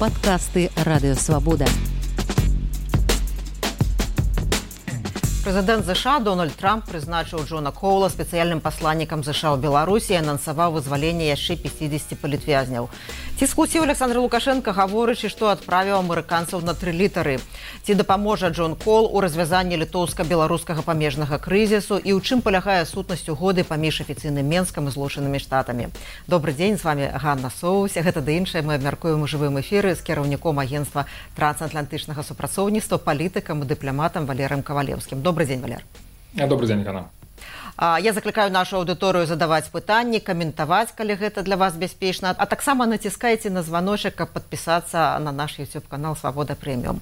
Падкасты Радыёвабода. Прэзідэнт ЗША Дональд Трамп прызначыў Джона Коула спецыяльным пасланнікам ЗША ў Беларусі і анансаваў вызваленне яшчэ 50 палітвязняў. Ці скусіў Александр Лукашенко, гаворачы, што адправіў амерыканцаў на 3 літары. Ці дапаможа Джон Коул у развязанні літоўска-беларускага памежнага крызісу і ў чым палягае сутнасць угоды паміж афіцыйным Менскам і Злучанымі Штатамі. Добры дзень, з вами Ганна Соус. Гэта да іншае мы абмяркуем у жывым эфіры з кіраўніком агенцтва трансатлантычнага супрацоўніцтва, палітыкам і дыпламатам Валерыем Кавалеўскім. Добрый день, Валер. Добрый день, Ганна. Я закликаю нашу аудыторыю задаваць пытанні, каментаваць, калі гэта для вас бяспечна, а таксама націскайце на званочак, каб падпісацца на наш YouTube-канал «Свобода Премиум».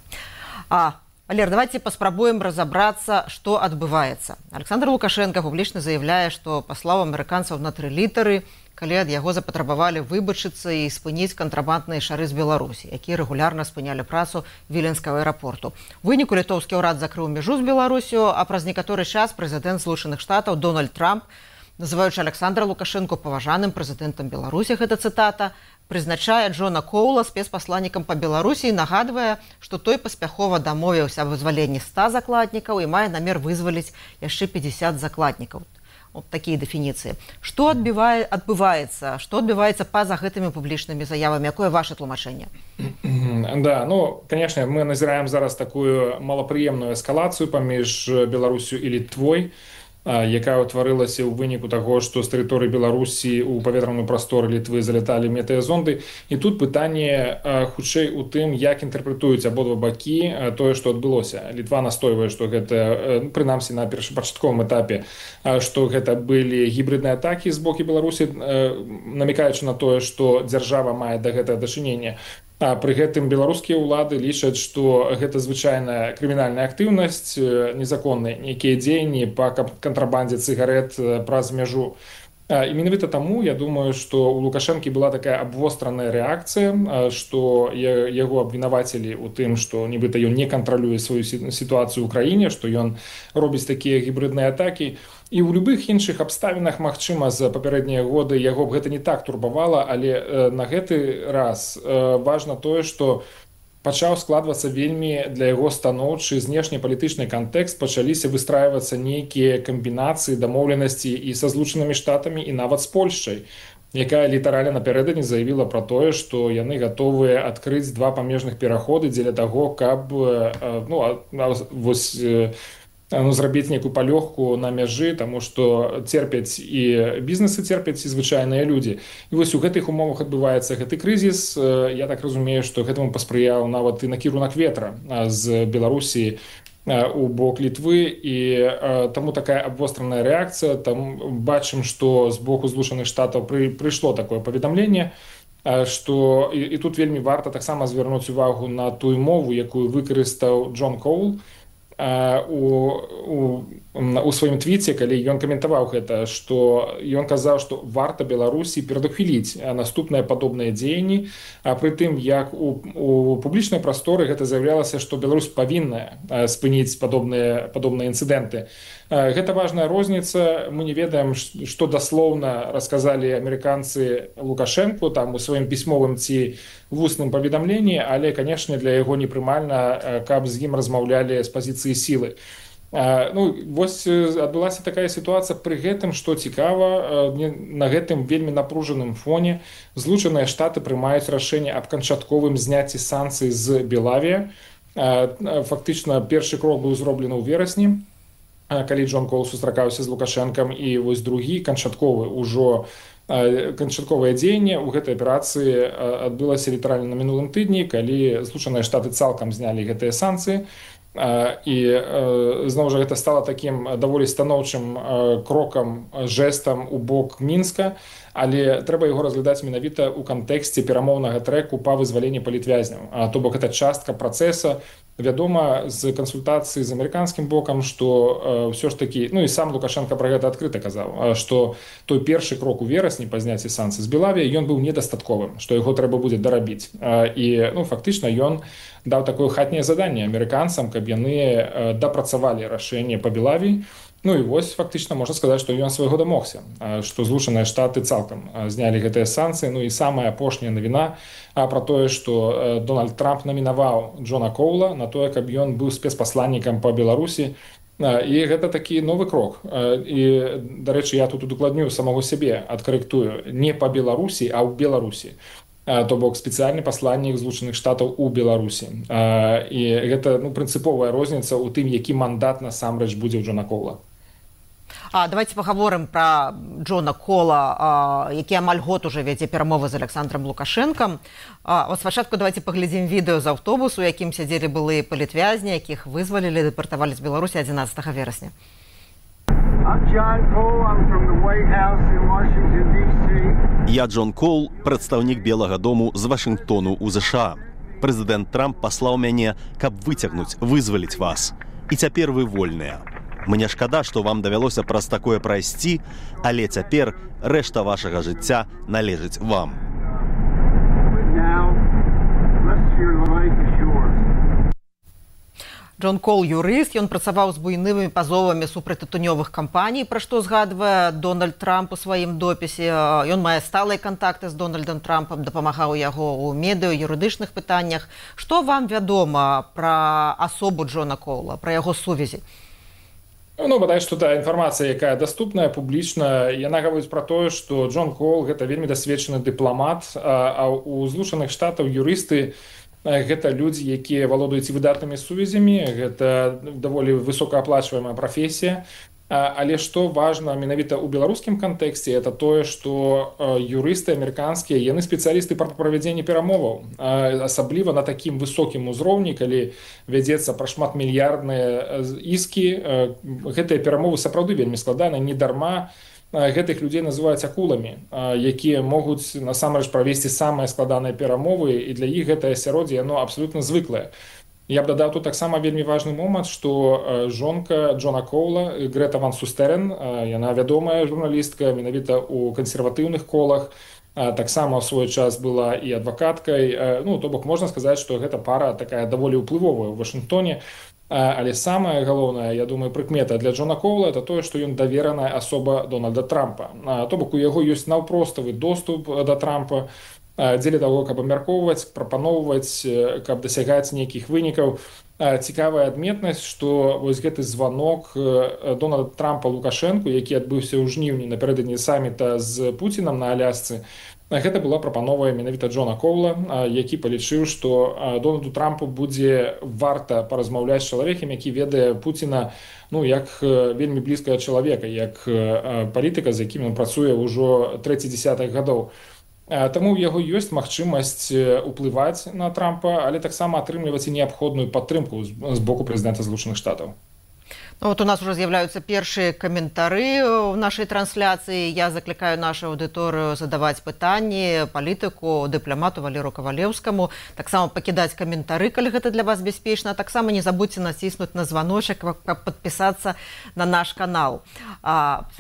Валер, давайте паспрабуем разобраться, что адбываецца. Александр Лукашенко публічна заявляе, што паслаў амерыканцаў на 3 літары, калі ад яго запатрабавалі выбачыцца і спыніць кантрабандныя шары з Беларусі, якія рэгулярна спынялі працу Віленскага аэрапорту. У выніку літоўскі ўрад закрыў мяжу з Беларусю, а праз некаторы час прэзідэнт Злучаных Штатаў Дональд Трамп, называючы Александра Лукашенко паважаным прэзідэнтам Беларусі, гэта цытата, прызначае Джона Коула спецпасланнікам па Беларусі і нагадвае, што той паспяхова дамовіўся аб вызваленні 100 закладнікаў і мае намер вызваліць яшчэ 50 закладнікаў. Вот такие дефиниции. Что отбывается? Что отбывается па-за гэтымі публічнымі заявамі? Якое ваше тлумачэнне? Да, конечно, мы назираем зараз такую малапрыемную эскалацию паміж Беларусю і Літвой, якая ўтварылася ў выніку таго, што з тэрыторыі Беларусі ў паветраную прастору Літвы заляталі метэазонды. І тут пытанне хутчэй у тым, як інтэрпрэтуюць абодва бакі тое, што адбылося. Літва настойвае, што гэта, прынамсі на першапачатковым этапе, што гэта былі гібридныя атакі з боку Беларусі, намекаючы на тое, што дзяржава мае да гэтага дачынення. Пры гэтым беларускія ўлады лічаць, што гэта звычайная крымінальная актыўнасць, незаконныя нейкія дзеянні па кантрабандзе цыгарэт праз мяжу. І менавіта таму, я думаю, што у Лукашэнкі была такая абвостраная рэакцыя, што яго абвінавацілі ў тым, што нібыта ён не кантралюе сваю сітуацыю ў краіне, што ён робіць такія гібридныя атакі. І ў любых іншых абставінах, магчыма, за папярэднія годы яго б гэта не так турбавала, але на гэты раз важна тое, што пачаў складвацца вельмі для яго станоўчы знешнепалітычны кантэкст, пачаліся выстрайвацца нейкія камбінацыі, дамоўленасці і са Злучанымі Штатамі, і нават з Польшчай, якая літаральна напярэдадні заявіла пра тое, што яны гатовыя адкрыць 2 памежных пераходы дзеля таго, каб зрабіць нейкую палёгку на мяжы, таму што церпяць і бізнесы церпяць, і звычайныя людзі. І вось у гэтых умовах адбываецца гэты крызіс. Я так разумею, што гэтаму паспрыяў нават і накірунак ветра з Беларусі у бок Літвы, і таму такая абвостраная рэакцыя. Там бачым, што з боку Злучаных Штатаў прыйшло такое паведамленне, што і тут вельмі варта таксама звярнуць увагу на тую мову, якую выкарыстаў Джон Коул у сваім твіце, калі ён каментаваў гэта, што ён казаў, што варта Беларусі перадухіліць наступныя падобныя дзеянні, пры тым, як у публічнай прасторы гэта заявлялася, што Беларусь павінна спыніць падобныя інцыдэнты. Гэта важная розніца. Мы не ведаем, што даслоўна расказалі амерыканцы Лукашэнку там у сваім пісьмовым ці вусным паведамленні, але, канешне, для яго непрымальна, каб з ім размаўлялі з пазіцыі сілы. Вось адбылася такая сітуацыя. Пры гэтым, што цікава, на гэтым вельмі напружаным фоне Злучаныя Штаты прымаюць рашэнне аб канчатковым зняцці санкцый з Белавія. Фактычна, першы крок быў зроблены ў верасні, калі Джон Коул сустракаўся з Лукашэнкам, і вось другі, канчатковае дзеянне ў гэтай аперацыі адбылася літаральна на мінулым тыдні, калі Злучаныя Штаты цалкам знялі гэтыя санкцыі. І зноў жа гэта стала такім даволі станоўчым крокам, жэстам у бок Мінска, але трэба яго разглядаць менавіта ў кантэксце перамоўнага трэку па вызваленні палітвязняў. То бок гэта частка працэса. Вядома, з кансультацыі з амерыканскім бокам, што ўсё ж такі, і сам Лукашенко пра гэта адкрыта казаў, што той першы крок у верасні па зняцці санкцый з Белавія, ён быў недастатковым, што яго трэба будзе дарабіць. І фактычна ён даў такое хатняе заданне амерыканцам, каб яны дапрацавалі рашэнне па Белавіі, Ну і вось фактычна можна сказаць, што ён свайго дамогся, што Злучаныя Штаты цалкам знялі гэтыя санкцыі. Ну і самая апошняя навіна пра тое, што Дональд Трамп намінаваў Джона Коула на тое, каб ён быў спецпасланнікам па Беларусі. І гэта такі новы крок. І, дарэчы, я тут удакладню самого сябе, адкарэктую, не па Беларусі, а ў Беларусі. То бок спецыяльны пасланнік Злучаных Штатаў у Беларусі. І гэта прынцыповая розніца ў тым, які мандат насамрэч будзе ў Джона Коула. Давайте паговорым пра Джона Кола, які амаль год уже вядзе перамовы з Александром Лукашэнкам. Спачатку давайте паглядзім відэо з аўтобусу, у якім сядзелі былыя палітвязні, якіх вызвалілі, дэпартавалі з Беларусі 11 верасня. Я Джон Кол, прадстаўнік Белага дому з Вашынгтону ў ЗША. Прэзідэнт Трамп паслаў мяне, каб выцягнуць, вызваліць вас. І цяпер вы вольныя. Мне шкада, што вам давялося праз такое прайсці, але цяпер рэшта вашага жыцця належыць вам. Джон Кол юрыст, ён працаваў з буйнымі пазовамі супраць тытунёвых кампаній, пра што згадвае Дональд Трамп у сваім допісе. Ён мае сталыя кантакты з Дональдом Трампам, дапамагаў яго ў медыа, юрыдычных пытаннях. Што вам вядома пра асобу Джона Кола, пра яго сувязі? Бадай, што та інфармацыя, якая даступная, публічна, яна гаворыць пра тое, што Джон Кол – гэта вельмі дасведчаны дыпламат, а ў Злучаных Штатаў юрысты гэта людзі, якія валодаюць выдатнымі сувязямі, гэта даволі высокааплачваемая прафесія. Але што важна менавіта ў беларускім кантэксце, это тое, што юрысты амерыканскія, яны спецыялісты па правядзенні перамоваў. Асабліва на такім высокім узроўні, калі вядзецца пра шматмільярдныя іскі, гэтыя перамовы сапраўды вельмі складаныя, не дарма гэтых людзей называюць акуламі, якія могуць насамрэч правесці самыя складаныя перамовы, і для іх гэтае асяроддзе, яно абсалютна звыклае. Я б дадаў тут таксама вельмі важны момант, што жонка Джона Коула, Грета Ван Сустерен, яна вядомая журналістка, менавіта ў кансерватыўных колах, таксама ў свой час была і адвакаткай. То бок можна сказаць, што гэта пара такая даволі ўплывовая ў Вашынгтоне. Але самае галоўнае, я думаю, прыкмета для Джона Коула – это тое, што ён давераная асоба Дональда Трампа. То бок у яго ёсць наўпроставы доступ да Трампа, дзеля таго, каб абмяркоўваць, прапаноўваць, каб дасягаць нейкіх вынікаў. Цікавая адметнасць, што вось гэты званок Дональда Трампа Лукашэнку, які адбыўся ў жніўні напярэдадні саміта з Пуцінам на Алясцы, гэта была прапанова менавіта Джона Коула, які палічыў, што Дональду Трампу будзе варта паразмаўляць з чалавекам, які ведае Пуціна як вельмі блізкага чалавека, як палітыка, з якім ён працуе ўжо трэці дзесятак гадоў. Таму ў яго ёсць магчымасць уплываць на Трампа, але таксама атрымліваць і неабходную падтрымку з боку прэзідэнта Злучаных Штатаў. У нас уже з'яўляюцца першыя каментары ў нашай трансляцыі. Я заклікаю нашу аўдыторыю задаваць пытанні палітыку, дыпламату Валеру Кавалеўскаму. Таксама пакідаць каментары, калі гэта для вас бяспечна. Таксама не забудзьце націснуць на званочак, каб падпісацца на наш канал.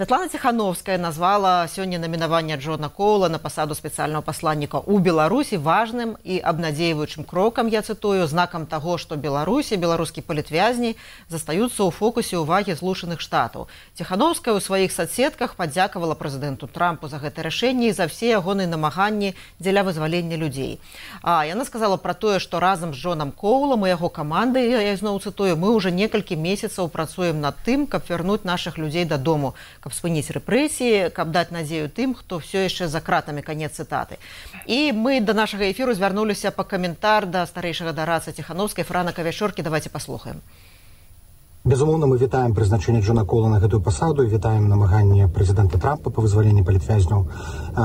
Святлана Ціхановская назвала сёння намінаванне Джона Коула на пасаду спецыяльнага пасланніка ў Беларусі важным і абнадзейваючым крокам, я цытую, знакам таго, што Беларусі, беларускія палітвязні застаюцца ў фокусе увагі Злучаных Штатаў. Ціхановская ў сваіх соцсетках падзякавала прэзідэнту Трампу за гэта рашэнне і за все ягоныя намаганні дзеля вызвалення людзей. Яна сказала пра тое, што разам з Джонам Коулам і яго камандай, я зноў цытую, мы ўжо некалькі месяцаў працуем над тым, каб вярнуць нашых людзей дадому, каб спыніць рэпрэсіі, каб даць надзею тым, хто все яшчэ за кратамі, канец цытаты. І мы да нашага эфіру звярнуліся па каментар да старэйшага дараца Ціхановскай Франа Кавяшоркі. Давайте паслухаем. Безумоўна, мы вітаем прызначэнне Джона Кола на гэтую пасаду, вітаем намаганне прэзідэнта Трампа па вызваленні палітвязняў.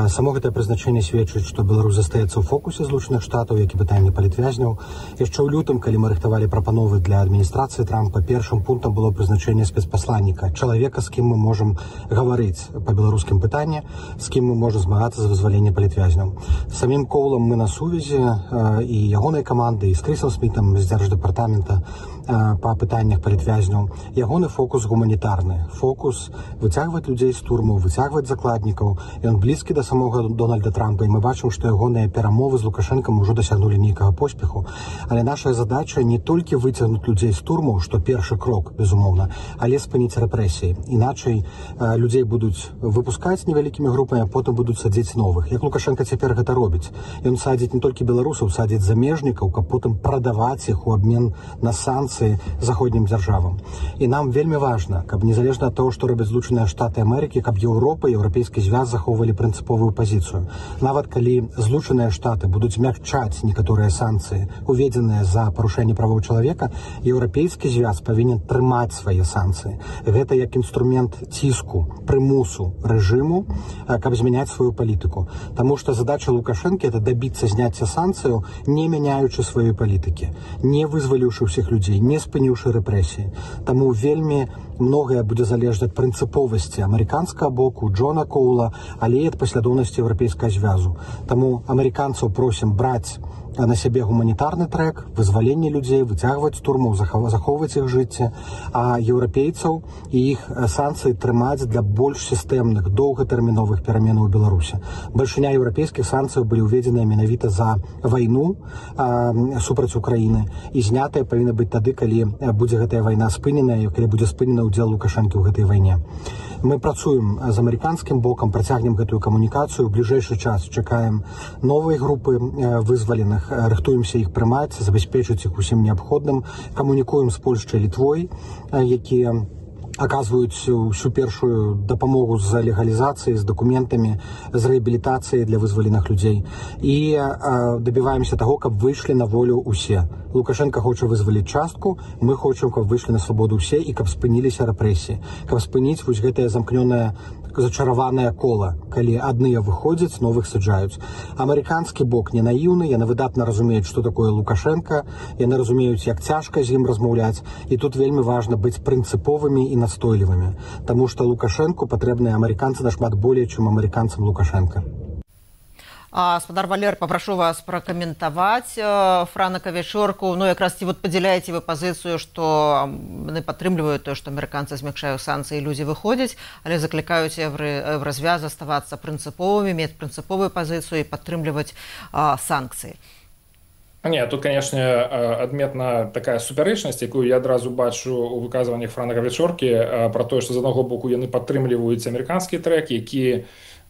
Само гэтае прызначэнне сведчыць, што Беларусь застаецца ў фокусе Злучаных Штатаў, як і пытанне палітвязняў. Яшчэ ў лютым, калі мы рыхтавалі прапановы для адміністрацыі Трампа, першым пунктам было прызначэнне спецпасланніка, чалавека, з кім мы можам гаварыць па беларускім пытанні, з кім мы можам змагацца за вызваленне палітвязняў. З самім Коулам мы на сувязі, і ягонай камандай, і з Крысам Смітам з Дзярждэпартамента. па пытаннях палітвязняў. Ягоны фокус гуманітарны. Фокус выцягваць людзей з турмаў, выцягваць закладнікаў. Ён блізкі да самога Дональда Трампа, і мы бачым, што ягоныя перамовы з Лукашэнкам ужо дасягнулі нейкага поспеху. Але наша задача не толькі выцягнуць людзей з турмаў, што першы крок, безумоўна, але спыніць рэпрэсіі. Іначай людзей будуць выпускаць невялікімі групамі, а потым будуць садзіць новых. Як Лукашенко цяпер гэта робіць? Ён садзіць не толькі беларусаў, садзіць замежнікаў, каб потым прадаваць іх у абмен на санкцыі заходнім дзяржавам. І нам вельмі важна, каб незалежна ад таго, што робяць Злучаныя Штаты Амерыкі, каб Еўропа і Еўрапейскі звяз захоўвалі прынцыповую пазіцыю. Нават калі Злучаныя Штаты будуць мякчаць некаторыя санкцыі, уведзеныя за парушэнне правоў чалавека, Еўрапейскі звяз павінен трымаць свае санкцыі. Гэта як інструмент ціску, прымусу рэжыму, каб змяняць сваю палітыку. Таму што задача Лукашэнкі – это дабіцца зняцця санкцыяў, не мяняючы сваёй палітыкі, не вызваліўшы ўсіх людзей, не спыніўшы рэпрэсіі. Таму вельмі многае будзе залежаць ад прынцыповасці амерыканскага боку, Джона Коула, але і ад паслядоўнасці Еўрапейскага звязу. Таму амерыканцаў просім браць на сябе гуманітарны трэк, вызваленне людзей, выцягваць турму, захоўваць іх жыцця, а еўрапейцаў і іх санкцыі трымаць для больш сістэмных, доўгатэрміновых пераменаў у Беларусі. Бальшыня еўрапейскіх санкцыяў былі ўведзеныя менавіта за вайну супраць Украіны, і знятыя павінны быць тады, калі будзе гэтая вайна спыненая, калі будзе спынена ўдзел Лукашэнкі ў гэтай вайне. Мы працуем з амерыканскім бокам, працягнем гэтую камунікацыю. У бліжэйшы час чакаем новыя групы вызваленых, рыхтуемся іх прымаць, забяспечыць іх усім неабходным. Камунікуем з Польшчай, Літвой, якія аказваюць усю першую дапамогу з легалізацыяй, з дакументамі, з рэабілітацыяй для вызваленых людзей. І дабіваемся таго, каб выйшлі на волю ўсе. Лукашенко хоча вызваліць частку, мы хочам, каб выйшлі на свабоду ўсе і каб спыніліся рэпрэсіі. Каб спыніць вось гэтае замкнёнае зачараванае кола, калі адныя выходзяць, новых саджаюць. Амерыканскі бок не наіўны, яны выдатна разумеюць, што такое Лукашенко, яны разумеюць, як цяжка з ім размаўляць, і тут вельмі важна быць прынцыповымі і настойлівымі, таму што Лукашэнку патрэбныя амерыканцы нашмат болей, чым амерыканцам Лукашенко. Спадар Валер, попрошу вас пракаментаваць франка-вечорку. Ну, якраз ці вот падзяляеце вы пазіцыю, што яны падтрымліваюць тое, што амерыканцы змякшаюць санкцыі, людзі выходзяць, але заклікаюць Еўразвяз заставацца прынцыповымі, мець прынцыповую пазіцыю і падтрымліваць санкцыі. Не, тут, конечно, адметна такая супярэчнасць, якую я адразу бачу у выказваннях франка-вечоркі пра тое, што з аднаго боку яны падтрымліваюць амерыканскі трэк, які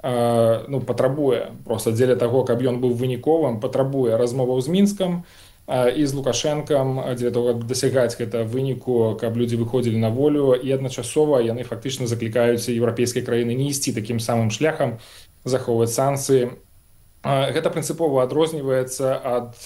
патрабуе просто дзеля таго, каб ён быў выніковым, патрабуе размоваў з Мінскам і з Лукашэнкам дзеля таго, каб дасягаць гэта выніку, каб людзі выходзілі на волю, і адначасова яны фактычна заклікаюць еўрапейскія краіны не ісці такім самым шляхам, захоўваць санкцыі. Гэта прынцыпова адрозніваецца ад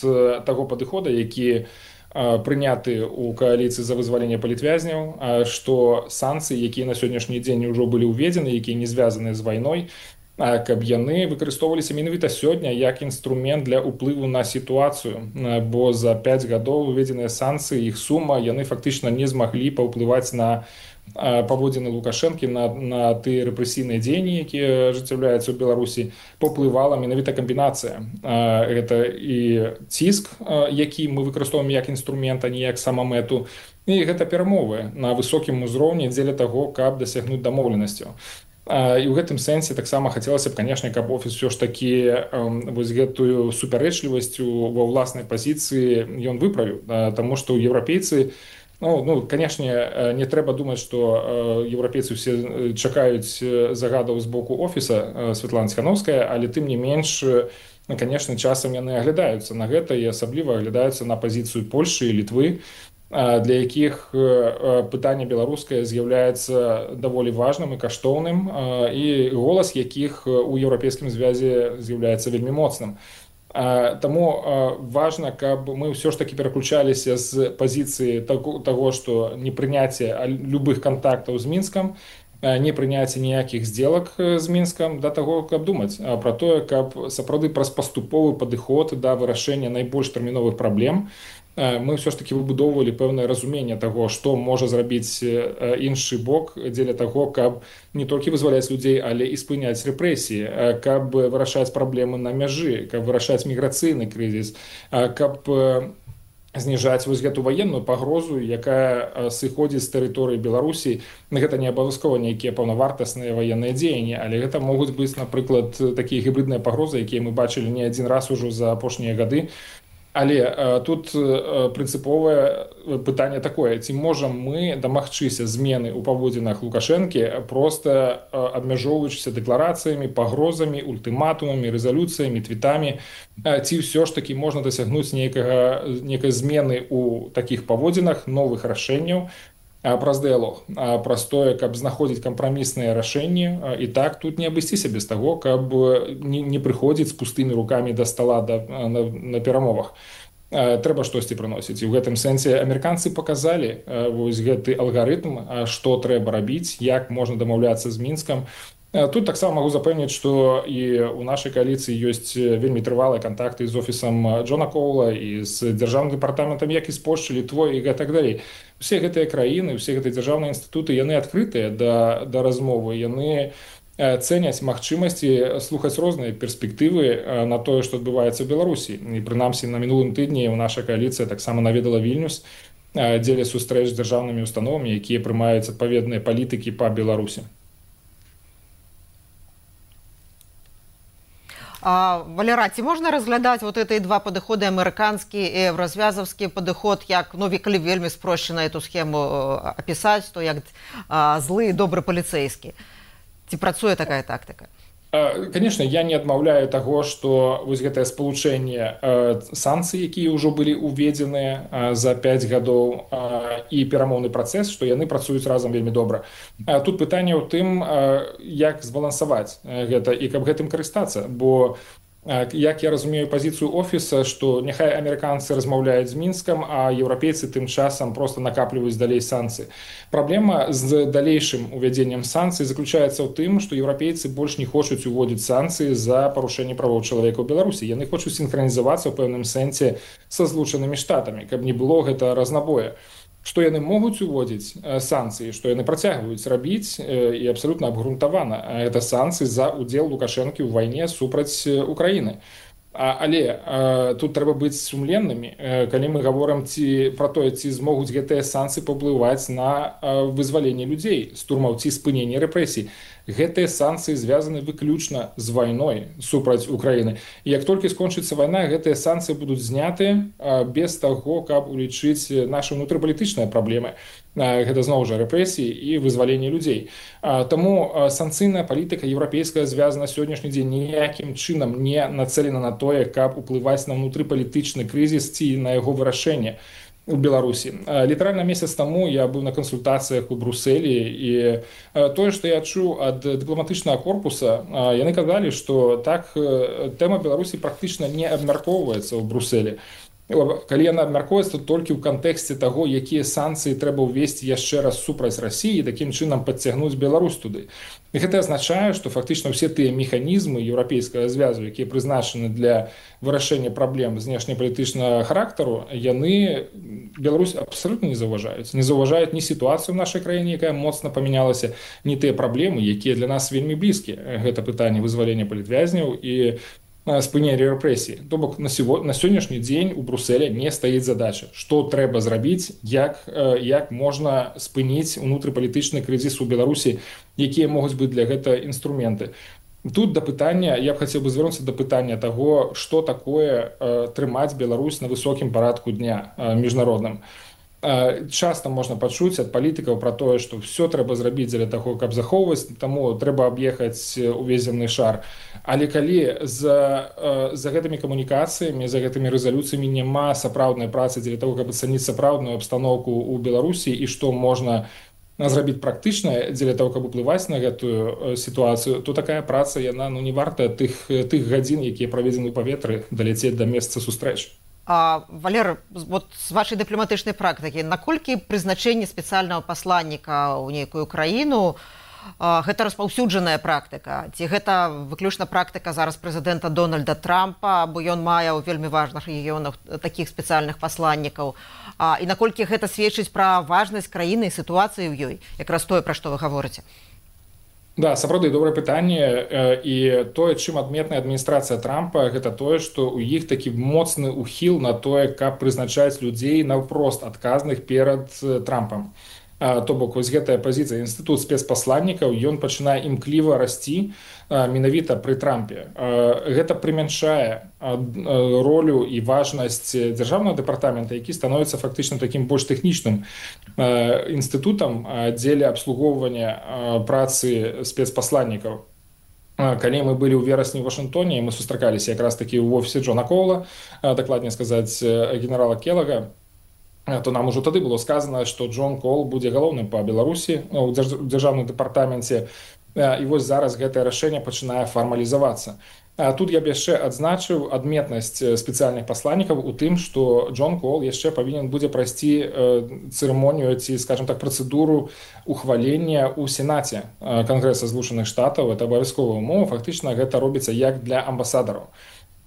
таго падыхода, які прыняты ў кааліцыі за вызваленне палітвязняў, што санкцыі, якія на сённяшні дзень ужо былі ўведзены, якія не звязаны з вайной, каб яны выкарыстоўваліся менавіта сёння як інструмент для ўплыву на сітуацыю, бо за 5 гадоў уведзеныя санкцыі, іх сума, яны фактычна не змаглі паўплываць на паводзіны Лукашэнкі, на тыя рэпрэсійныя дзеянні, якія ажыццяўляюцца ў Беларусі, паўплывала менавіта камбінацыя. Гэта і ціск, які мы выкарыстоўваем як інструмент, а не як самамэту, і гэта перамовы на высокім узроўні дзеля таго, каб дасягнуць дамоўленасцяў. І ў гэтым сэнсе таксама хацелася б, канешне, каб офіс ўсё ж такі вось гэтую супярэчлівасць ва ўласнай пазіцыі ён выправіў, таму што еўрапейцы, канешне, не трэба думаць, што еўрапейцы ўсе чакаюць загадаў з боку офіса Святлана Ціхановская, але тым не менш, канешне, часам яны аглядаюцца на гэта і асабліва аглядаюцца на пазіцыю Польшчы і Літвы, для якіх пытанне беларускае з'яўляецца даволі важным і каштоўным, і голас якіх у еўрапейскім звязе з'яўляецца вельмі моцным. Таму важна, каб мы ўсё ж такі пераключаліся з пазіцыі таго, што непрыняцце любых кантактаў з Мінскам, непрыняцце ніякіх здзелак з Мінскам, да таго, каб думаць пра тое, каб сапраўды праз паступовы падыход да вырашэння найбольш тэрміновых праблем мы ўсё ж такі выбудоўвалі пэўнае разуменне таго, што можа зрабіць іншы бок дзеля таго, каб не толькі вызваляць людзей, але і спыняць рэпрэсіі, каб вырашаць праблемы на мяжы, каб вырашаць міграцыйны крызіс, каб зніжаць вось гэту ваенную пагрозу, якая сыходзіць з тэрыторыі Беларусі. Гэта не абавязкова нейкія паўнавартасныя ваенныя дзеянні, але гэта могуць быць, напрыклад, такія гібридныя пагрозы, якія мы бачылі не адзін раз ужо за апошнія гады. Але тут прынцыповае пытанне такое: ці можам мы дамагчыся змены ў паводзінах Лукашэнкі, проста абмяжоўваючыся дэкларацыямі, пагрозамі, ультыматумамі, рэзалюцыямі, твітамі, ці ўсё ж такі можна дасягнуць нейкай змены ў такіх паводзінах, новых рашэнняў праз дыялог, праз тое, каб знаходзіць кампрамісныя рашэнні. І так тут не абысціся без таго, каб не прыходзіць з пустымі рукамі да стала на перамовах. Трэба штосьці прыносіць. І ў гэтым сэнсе амерыканцы паказалі вось гэты алгарытм, што трэба рабіць, як можна дамаўляцца з Мінскам. Тут таксама магу запэўніць, што і ў нашай кааліцыі ёсць вельмі трывалыя кантакты з офісам Джона Коула і з дзяржаўным дэпартаментам, як і з Польшчы, Літвой і гэтак далей. Усе гэтыя краіны, усе гэтыя дзяржаўныя інстытуты, яны адкрытыя да размовы, яны цэняць магчымасці слухаць розныя перспектывы на тое, што адбываецца ў Беларусі. І прынамсі на мінулым тыдні наша кааліцыя таксама наведала Вільнюс дзеля сустрэч з дзяржаўнымі установамі, якія прымаюць адпаведныя палітыкі па Беларусі. Валера, ці можна разглядаць вот эти два падыходы, амерыканскі і еўразвязаўскі падыход, як, ну, калі вельмі спрошчана эту схему апісаць, то як злы і добры паліцэйскі? Ці працуе такая тактыка? Конечно, я не адмаўляю таго, што вось гэтае спалучэнне санкцый, якія ўжо былі уведзеныя за 5 гадоў, і перамоўны працэс, што яны працуюць разам вельмі добра. Тут пытанне ў тым, як збалансаваць гэта і каб гэтым карыстацца, бо як я разумею пазіцыю офіса, што няхай амерыканцы размаўляюць з Мінскам, а еўрапейцы тым часам проста накапліваюць далей санкцыі. Праблема з далейшым увядзеннем санкцый заключаецца ў тым, што еўрапейцы больш не хочуць уводзіць санкцыі за парушэнне правоў чалавека ў Беларусі. Яны хочуць сінхранізавацца ў пэўным сэнсе са Злучанымі Штатамі, каб не было гэта разнабоя. Што яны могуць уводзіць санкцыі, што яны працягваюць рабіць і абсалютна абгрунтавана. Гэта санкцыі за ўдзел Лукашэнкі ў вайне супраць Украіны. Але тут трэба быць сумленнымі, калі мы гаворым пра тое, ці змогуць гэтыя санкцыі паўплываць на вызваленне людзей з турмаў ці спыненне рэпрэсій. Гэтыя санкцыі звязаны выключна з вайной супраць Украіны. І як толькі скончыцца вайна, гэтыя санкцыі будуць знятыя без таго, каб улічыць нашы ўнутрыпалітычныя праблемы. Гэта зноў жа рэпрэсіі і вызваленне людзей. Таму санкцыйная палітыка еўрапейская звязана сённяшні дзень ніякім чынам не нацелена на тое, каб уплываць на ўнутрыпалітычны крызіс ці на яго вырашэнне у Беларусі. Літаральна месяц таму я быў на кансультацыях у Брусэлі, і тое, што я чуў ад дыпламатычнага корпуса, яны казалі, што так тэма Беларусі практычна не абмяркоўваецца ў Брусэлі. Калі яна абмяркоўваецца толькі ў кантэксце таго, якія санкцыі трэба ўвесці яшчэ раз супраць Расіі, такім чынам падцягнуць Беларусь туды. І гэта азначае, што фактычна ўсе тыя механізмы еўрапейскага звязу, якія прызначаны для вырашэння праблем знешнепалітычнага характару, яны Беларусь абсалютна не заўважаюць. Не заўважаюць ні сітуацыю ў нашай краіне, якая моцна памянялася, ні тыя праблемы, якія для нас вельмі блізкія. Гэта пытанне вызвалення палітвязняў і спынення рэпрэсій. То бок на сённяшні дзень у Брусэле не стаіць задача, што трэба зрабіць, як можна спыніць унутрыпалітычны крызіс у Беларусі, якія могуць быць для гэта інструменты. Тут да пытання, я б хацеў бы звярнуцца да пытання таго, што такое трымаць Беларусь на высокім парадку дня міжнародным. Часта можна пачуць ад палітыкаў пра тое, што ўсё трэба зрабіць дзеля таго, каб захоўваць, таму трэба аб'ехаць увесь зямны шар. Але калі за гэтымі камунікацыямі, за гэтымі рэзалюцыямі няма сапраўднай працы дзеля таго, каб ацаніць сапраўдную абстаноўку ў Беларусі і што можна зрабіць практычна дзеля таго, каб уплываць на гэтую сітуацыю, то такая праца, яна не варта тых гадзін, якія праведзены ў паветры, даляцець да месца сустрэч. Валер, вот з вашай дыпламатычнай практыкі, наколькі прызначэнне спецыяльнага пасланніка ў нейкую краіну гэта распаўсюджаная практыка? Ці гэта выключна практыка зараз прэзідэнта Дональда Трампа, бо ён мае ў вельмі важных рэгіёнах такіх спецыяльных пасланнікаў? І наколькі гэта сведчыць пра важнасць краіны і сітуацыі ў ёй, якраз тое, пра што вы гаворыце? Да, сапраўды добрае пытанне, і тое, чым адметная адміністрацыя Трампа, гэта тое, што ў іх такі моцны ухіл на тое, каб прызначаць людзей наўпрост адказных перад Трампам. То бок вось гэтая пазіцыя, інстытут спецпасланнікаў, ён пачынае імкліва расці менавіта пры Трампе. Гэта прымяншае ролю і важнасць дзяржаўнага дэпартамента, які становіцца фактычна такім больш тэхнічным інстытутам дзеля абслугоўвання працы спецпасланнікаў. Калі мы былі ў верасні ў Вашынгтоне, мы сустракаліся якраз такі ў офісе Джона Коула, дакладней сказаць, генерала Келлага, то нам ужо тады было сказано, што Джон Коул будзе галоўным па Беларусі ў дзяржаўным дэпартаменце, і вось зараз гэтае рашэнне пачынае фармалізавацца. Тут я б яшчэ адзначыў адметнасць спецыяльных пасланнікаў у тым, што Джон Коул яшчэ павінен будзе прайсці цырымонію ці, скажем так, працэдуру ухвалення ў Сенаце Кангрэса Злучаных Штатаў. Это абавязковая умова, фактычна гэта робіцца як для амбасадараў.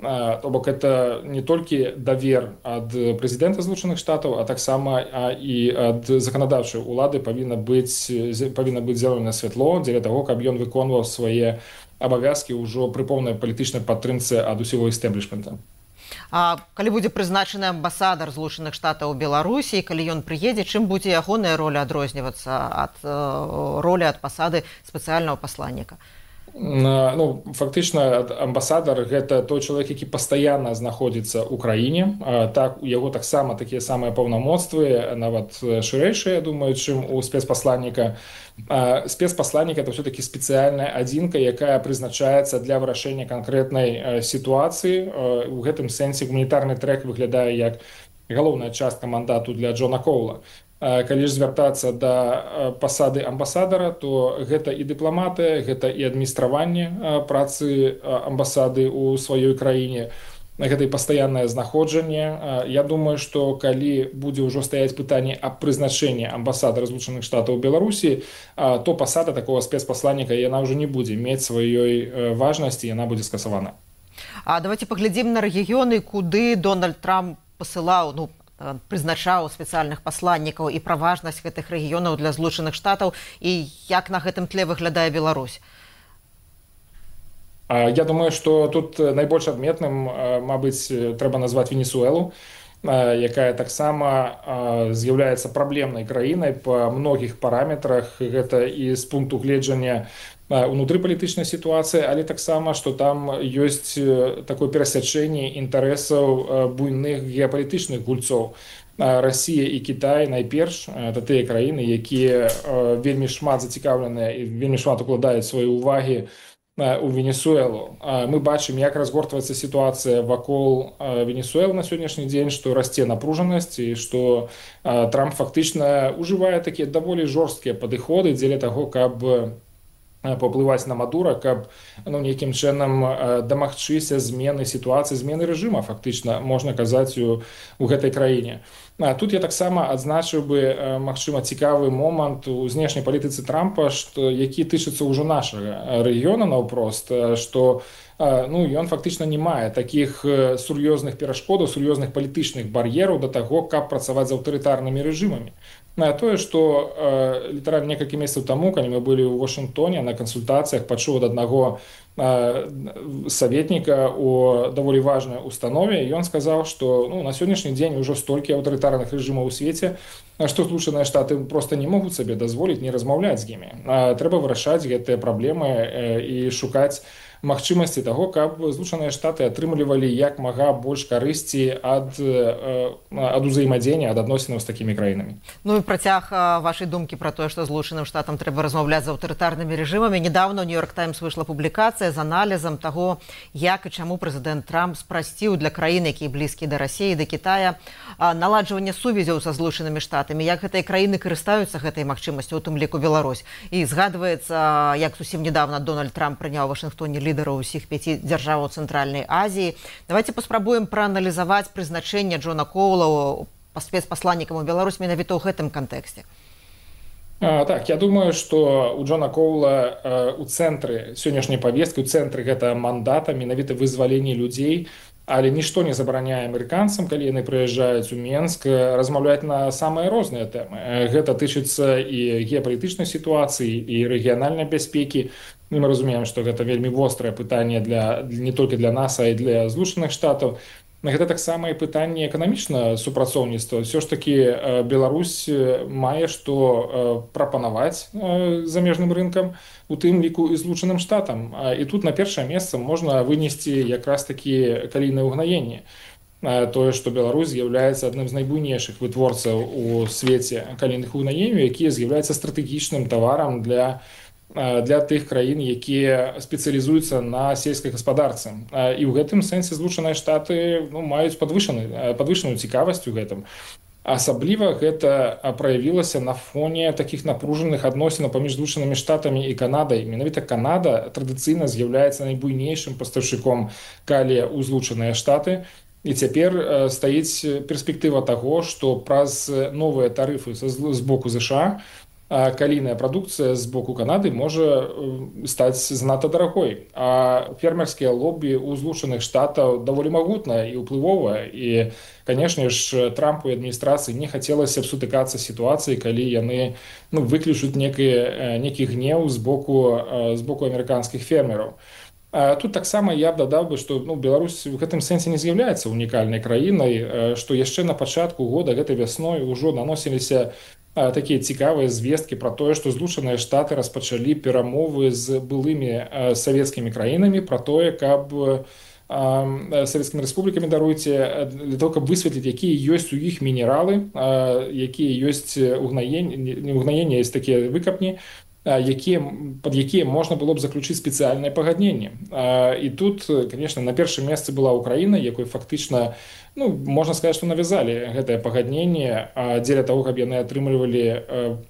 То бок это не толькі давер ад прэзідэнта Злучаных Штатаў, а таксама і ад заканадаўчай улады павінна быць зялёнае святло дзеля таго, каб ён выконваў свае абавязкі ўжо пры поўнай палітычнай падтрымцы ад усяго істэблішмента. А калі будзе прызначаны амбасадар Злучаных Штатаў у Беларусі, калі ён прыедзе, чым будзе ягоная роля адрознівацца ад ролі ад пасады спецыяльнага пасланніка? Ну, фактычна амбасадар гэта той чалавек, які пастаянна знаходзіцца ў краіне. Так, у яго таксама такія самыя паўнамоцтвы, нават шырэйшыя, я думаю, чым у спецпасланніка. Спецпасланнік это ўсё-такі спецыяльная адзінка, якая прызначаецца для вырашэння канкрэтнай сітуацыі. У гэтым сэнсе гуманітарны трэк выглядае як галоўная частка мандату для Джона Коула. Калі ж звяртацца да пасады амбасадара, то гэта і дыпламатыя, гэта і адміністраванне працы амбасады ў сваёй краіне, гэта і пастаяннае знаходжанне. Я думаю, што калі будзе ўжо стаяць пытанне аб прызначэнні амбасадара Злучаных Штатаў у Беларусі, то пасада такого спецпасланніка яна ўжо не будзе мець сваёй важнасці, яна будзе скасавана. А давайте паглядзім на рэгіёны, куды Дональд Трамп пасылаў, прызначаў спецыяльных пасланнікаў і пра важнасць гэтых рэгіёнаў для Злучаных Штатаў і як на гэтым тле выглядае Беларусь? Я думаю, што тут найбольш адметным, мабыць, трэба назваць Венесуэлу, якая таксама з'яўляецца праблемнай краінай па многіх параметрах. Гэта і з пункту гледжання унутрыпалітычнай сітуацыі, але таксама, што там ёсць такое перасячэнне інтарэсаў буйных геапалітычных гульцоў. Расія і Кітай найперш, это тыя краіны, якія вельмі шмат зацікаўленыя і вельмі шмат укладаюць свае ўвагі у Венесуэлу. Мы бачым, як разгортваецца сітуацыя вакол Венесуэлы на сённяшні дзень, што расце напружанасць і што Трамп фактычна ўжывае такія даволі жорсткія падыходы дзеля таго, каб паўплываць на Мадура, каб нейкім чынам дамагчыся змены сітуацыі, змены рэжыма, фактычна, можна казаць, у гэтай краіне. Тут я таксама адзначыў бы, магчыма, цікавы момант у знешняй палітыцы Трампа, які тычыцца ўжо нашага рэгіёна наўпрост, што ён фактычна не мае такіх сур'ёзных перашкодаў, сур'ёзных палітычных бар'ераў да таго, каб працаваць з аўтарытарнымі рэжымамі. Тое, што літаральна некалькі месяцаў таму, калі мы былі ў Вашынгтоне на кансультацыях, пачуў ад аднаго саветніка у даволі важнай установе, і ён сказаў, што на сённяшні дзень ужо столькі аўтарытарных рэжымаў у свеце, што Злучаныя Штаты проста не могуць сабе дазволіць не размаўляць з імі. Трэба вырашаць гэтыя праблемы і шукаць магчымасці таго, каб Злучаныя Штаты атрымлівалі як мага больш карысці ад узаемадзеяння, ад адносінаў з такімі краінамі. Ну і працяг вашай думкі пра тое, што Злучаным Штатам трэба размаўляць з аўтарытарнымі рэжымамі. Недавно ў Нью-Йорк Таймс выйшла публікацыя з аналізам таго, як і чаму прэзідэнт Трамп спрасціў для краін, якія блізкія да Расіі, да Кітая, наладжванне сувязяў са Злучанымі Штатамі, як гэтыя краіны карыстаюцца гэтай магчымасцю, у тым ліку Беларусь. І згадваецца, як зусім недавно Дональд Трамп прыняў у Вашынгтоне лідараў усіх 5 дзяржаваў Цэнтральнай Азіі. Давайте паспрабуем прааналізаваць прызначэнне Джона Коула спецпасланнікам у Беларусь менавіта ў гэтым кантэксце. Так, я думаю, што у Джона Коула у цэнтры сённяшняй павесткі, у цэнтры гэта мандата, менавіта вызваленне людзей, Але нішто не забараняе амерыканцам, калі яны прыязджаюць у Менск, размаўляць на самыя розныя тэмы. Гэта тычыцца і геапалітычнай сітуацыі, і рэгіянальнай бяспекі. І мы разумеем, што гэта вельмі вострае пытанне не толькі для нас, а і для Злучаных Штатаў. Гэта таксама і пытанне эканамічнага супрацоўніцтва. Ўсё ж такі Беларусь мае што прапанаваць замежным рынкам, у тым ліку і Злучаным Штатам. І тут на першае месца можна вынесці якраз такі калійнае ўгнаенне. Тое, што Беларусь з'яўляецца адным з найбуйнейшых вытворцаў у свеце калійных угнаенняў, якія з'яўляюцца стратэгічным таварам для тых краін, якія спецыялізуюцца на сельскай гаспадарцы. І ў гэтым сэнсе Злучаныя Штаты маюць падвышаную цікавасць у гэтым. Асабліва гэта праявілася на фоне такіх напружаных адносінаў паміж Злучанымі Штатамі і Канадай. Менавіта Канада традыцыйна з'яўляецца найбуйнейшым пастаўшчыком калія ў Злучаныя Штаты. І цяпер стаіць перспектыва таго, што праз новыя тарыфы з боку ЗША калійная прадукцыя з боку Канады можа стаць занадта дарагой. А фермерскія лобі ў Злучаных Штатаў даволі магутнае і ўплывовае. І, канешне ж, Трампу і адміністрацыі не хацелася б сутыкацца з сітуацыяй, калі яны выключаць некі гнеў з боку амерыканскіх фермераў. Тут таксама я б дадаў бы, што Беларусь у гэтым сэнсе не з'яўляецца унікальнай краінай, што яшчэ на пачатку года гэтай вясной ужо наносіліся такія цікавыя звесткі пра тое, што Злучаныя Штаты распачалі перамовы з былымі савецкімі краінамі пра тое, каб савецкімі рэспублікамі, даруйце, для того, каб высветліць, якія ёсць у іх мінералы, якія ёсць угнаенні, ёсць такія выкапні, пад якія можна было б заключыць спецыяльнае пагадненне. І тут, конечно, на першым месцы была Украіна, якой фактычна, можна сказаць, што навязалі гэтае пагадненне дзеля таго, каб яны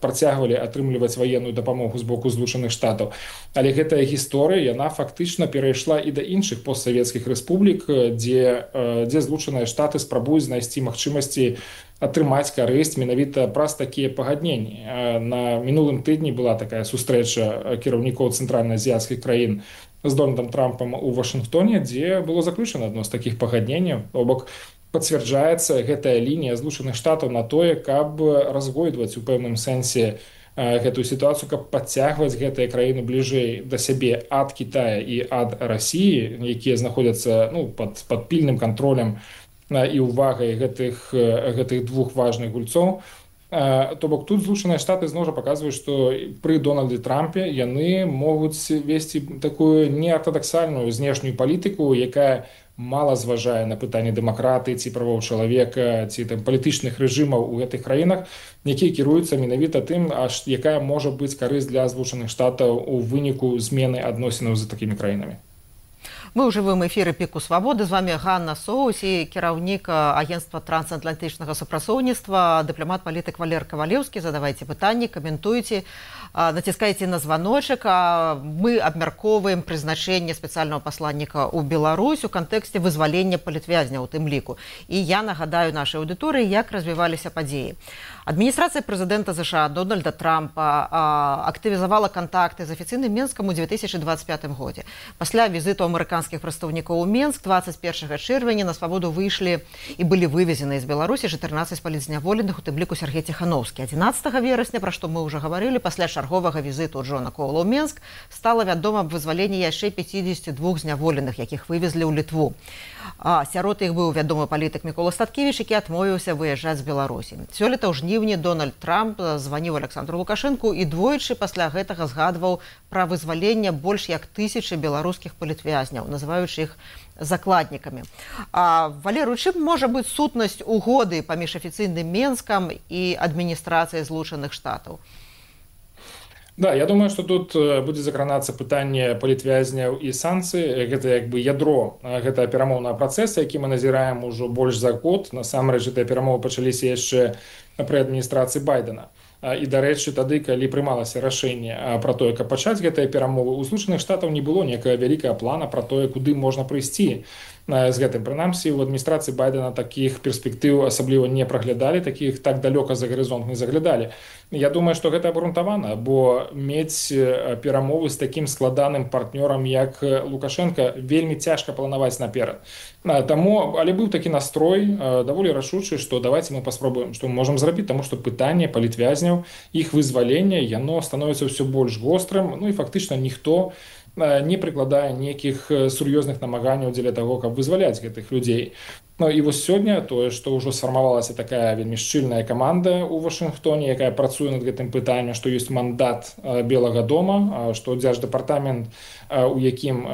працягвалі атрымліваць ваенную дапамогу з боку Злучаных Штатаў. Але гэтая гісторыя, яна фактычна перайшла і да іншых постсавецкіх рэспублік, дзе Злучаныя Штаты спрабуюць знайсці магчымасці атрымаць карысць менавіта праз такія пагадненні. На мінулым тыдні была такая сустрэча кіраўнікоў цэнтральна-азіяцкіх краін з Дональдом Трампам у Вашынгтоне, дзе было заключана адно з такіх пагадненняў. То бок пацвярджаецца гэтая лінія Злучаных Штатаў на тое, каб разгойдваць у пэўным сэнсе гэтую сітуацыю, каб падцягваць гэтыя краіны бліжэй да сябе ад Кітая і ад Расіі, якія знаходзяцца пад пільным кантролем і ўвагай гэтых двух важных гульцоў. То бок тут Злучаныя Штаты зноў жа паказваюць, што пры Дональдзе Трампе яны могуць весці такую неартадаксальную знешнюю палітыку, якая мала зважае на пытанне дэмакратыі ці правоў чалавека ці палітычных рэжымаў у гэтых краінах, якія кіруюцца менавіта тым, якая можа быць карысць для Злучаных Штатаў у выніку змены адносінаў з такімі краінамі. Мы ў жывым эфіры «Піку свабоды». З вами Ганна Соус і кіраўнік агенцтва трансатлантычнага супрацоўніцтва, дыпламат-палітык Валер Кавалеўскі. Задавайце пытанні, каментуйце, націскайце на званочак. Мы абмяркоўваем прызначэнне спецыяльнага пасланніка ў Беларусь у кантэксце вызвалення палітвязня ў тым ліку. І я нагадаю нашай аўдыторыі, як развіваліся падзеі. Адміністрацыя прэзідэнта ЗША Дональда Трампа актывізавала кантакты з афіцыйным Менскам у 2025 годзе. Пасля візіту амерыканскіх прадстаўнікоў у Менск 21 чэрвеня на свабоду выйшлі і былі вывезены з Беларусі 14 палітзняволеных, у тым ліку Сергей Ціхановскі. 11 верасня, пра што мы ўжо гаварылі, пасля чарговага візіту Джона Коула ў Менск стала вядома аб вызваленні яшчэ 52 зняволеных, якіх вывезлі ў Літву. Сярод іх быў вядомы палітык Мікола Статкевіч, які адмовіўся выязджаць з Беларусі. Сёлета ў жніўні Дональд Трамп званіў Александру Лукашэнку і двойчы пасля гэтага згадваў пра вызваленне больш як 1000 беларускіх палітвязняў, называючы іх закладнікамі. Валер, у чым можа быць сутнасць угоды паміж афіцыйным Менскам і адміністрацыяй Злучаных Штатаў? Да, я думаю, што тут будзе закранацца пытанне палітвязняў і санкцый. Гэта ядро гэтага перамоўнага працэса, які мы назіраем ужо больш за год. Насамрэч, гэтыя перамовы пачаліся яшчэ пры адміністрацыі Байдена. І, дарэчы, тады, калі прымалася рашэнне пра тое, каб пачаць гэтыя перамовы, у Злучаных Штатаў не было некага вялікага плана пра тое, куды можна прыйсці. з гэтым. Прынамсі, у адміністрацыі Байдена такіх перспектыў асабліва не праглядалі, такіх так далёка за гарызонт не заглядалі. Я думаю, што гэта абгрунтавана, бо мець перамовы з такім складаным партнёрам, як Лукашенко, вельмі цяжка планаваць наперад. Таму, але быў такі настрой даволі рашучы, што давайте мы паспробуем, што мы можам зрабіць, таму што пытанне палітвязняў, іх вызвалення, яно становіцца ўсё больш вострым, ну і фактычна ніхто не прыкладае нейкіх сур'ёзных намаганняў дзеля таго, каб вызваляць гэтых людзей. Ну і вось сёння тое, што ўжо сфармавалася такая вельмі шчыльная каманда ў Вашынгтоне, якая працуе над гэтым пытаннем, што ёсць мандат Белага дома, што дзярждэпартамент, у якім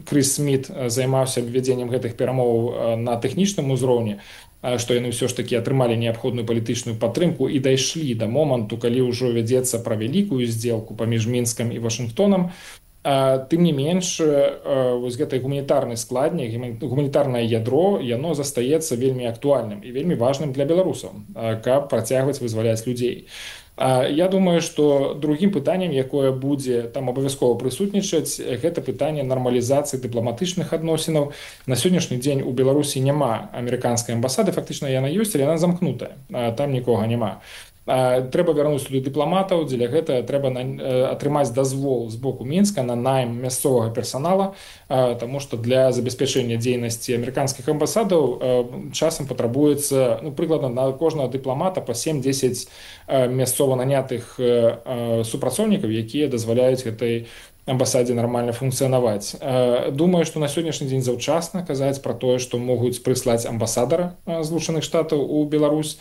Крыс Сміт займаўся ввядзеннем гэтых перамоваў на тэхнічным узроўні, што яны ўсё ж такі атрымалі неабходную палітычную падтрымку і дайшлі да моманту, калі ўжо вядзецца пра вялікую здзелку паміж Мінскам і Вашынгтонам. Тым не менш, вось гэты гуманітарны складнік, гуманітарнае ядро, яно застаецца вельмі актуальным і вельмі важным для беларусаў, каб працягваць вызваляць людзей. Я думаю, што другім пытаннем, якое будзе там абавязкова прысутнічаць, гэта пытанне нармалізацыі дыпламатычных адносінаў. На сённяшні дзень у Беларусі няма амерыканскай амбасады, фактычна яна ёсць, але яна замкнутая, там нікога няма. Трэба вярнуць туды дыпламатаў, дзеля гэта трэба атрымаць дазвол з боку Мінска на найм мясцовага персанала, таму што для забеспячэння дзейнасці амерыканскіх амбасадаў часам патрабуецца прыкладна на кожнага дыпламата па 7-10 мясцова нанятых супрацоўнікаў, якія дазваляюць гэтай амбасадзе нармальна функцыянаваць. Думаю, што на сённяшні дзень заўчасна казаць пра тое, што могуць прыслаць амбасадара Злучаных Штатаў у Беларусь.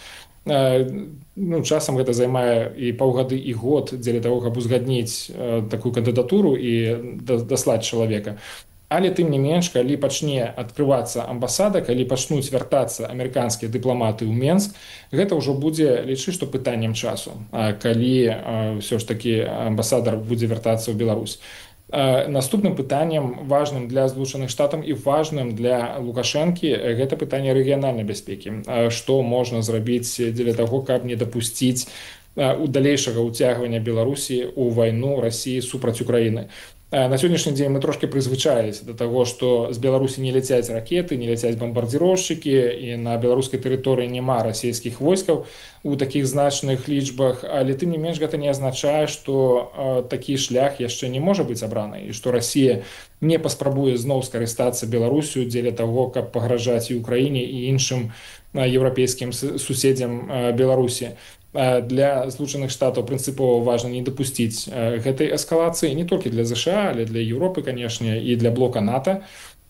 Часам гэта займае і паўгады, і год дзеля таго, каб узгадніць такую кандыдатуру і даслаць чалавека. Але тым не менш, калі пачне адкрывацца амбасада, калі пачнуць вяртацца амерыканскія дыпламаты ў Менск, гэта ўжо будзе, лічы, што пытаннем часу, калі ўсё ж такі амбасадар будзе вяртацца ў Беларусь. Наступным пытаннем, важным для Злучаных Штатаў і важным для Лукашэнкі, гэта пытанне рэгіянальнай бяспекі. Што можна зрабіць дзеля таго, каб не дапусціць далейшага ўцягвання Беларусі ў вайну Расіі супраць Украіны. На сённяшні дзень мы трошки прызвычаіліся да таго, што з Беларусі не ляцяць ракеты, не ляцяць бамбардзіроўшчыкі, і на беларускай тэрыторыі няма расійскіх войскаў у такіх значных лічбах, але тым не менш гэта не азначае, што такі шлях яшчэ не можа быць абраны, і што Расія не паспрабуе зноў скарыстацца Беларусю дзеля таго, каб пагражаць і Украіне і іншым еўрапейскім суседзям Беларусі. Для Злучаных Штатаў прынцыпова важна не дапусціць гэтай эскалацыі не толькі для ЗША, але для Еўропы, канешне, і для блока НАТО.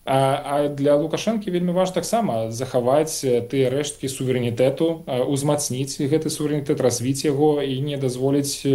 А для Лукашэнкі вельмі важна таксама захаваць тыя рэшткі суверэнітэту, узмацніць гэты суверэнітэт, развіць яго і не дазволіць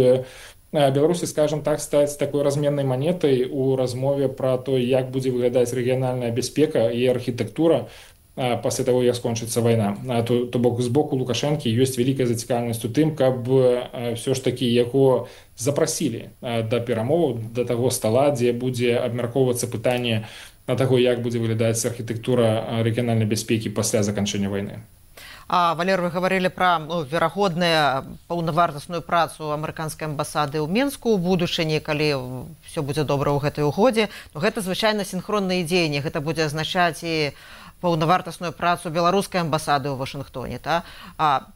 Беларусі, скажем так, стаць такой разменнай манетай у размове пра то, як будзе выглядаць рэгіянальная бяспека і архітэктура пасля таго, як скончыцца вайна. То бок з боку Лукашэнкі ёсць вялікая зацікаўленасць у тым, каб ўсё ж такі яго запрасілі да перамоваў, да таго стала, дзе будзе абмяркоўвацца пытанне на таго, як будзе выглядаць архітэктура рэгіянальнай бяспекі пасля заканчэння вайны. Валер, вы гаварылі пра верагодную паўнавартасную працу амерыканскай амбасады ў Менску ў будучыні, калі ўсё будзе добра ў гэтай угодзе. Гэта звычайна сінхронныя дзеянні, гэта будзе азначаць і паўнавартасную працу беларускай амбасады ў Вашынгтоне.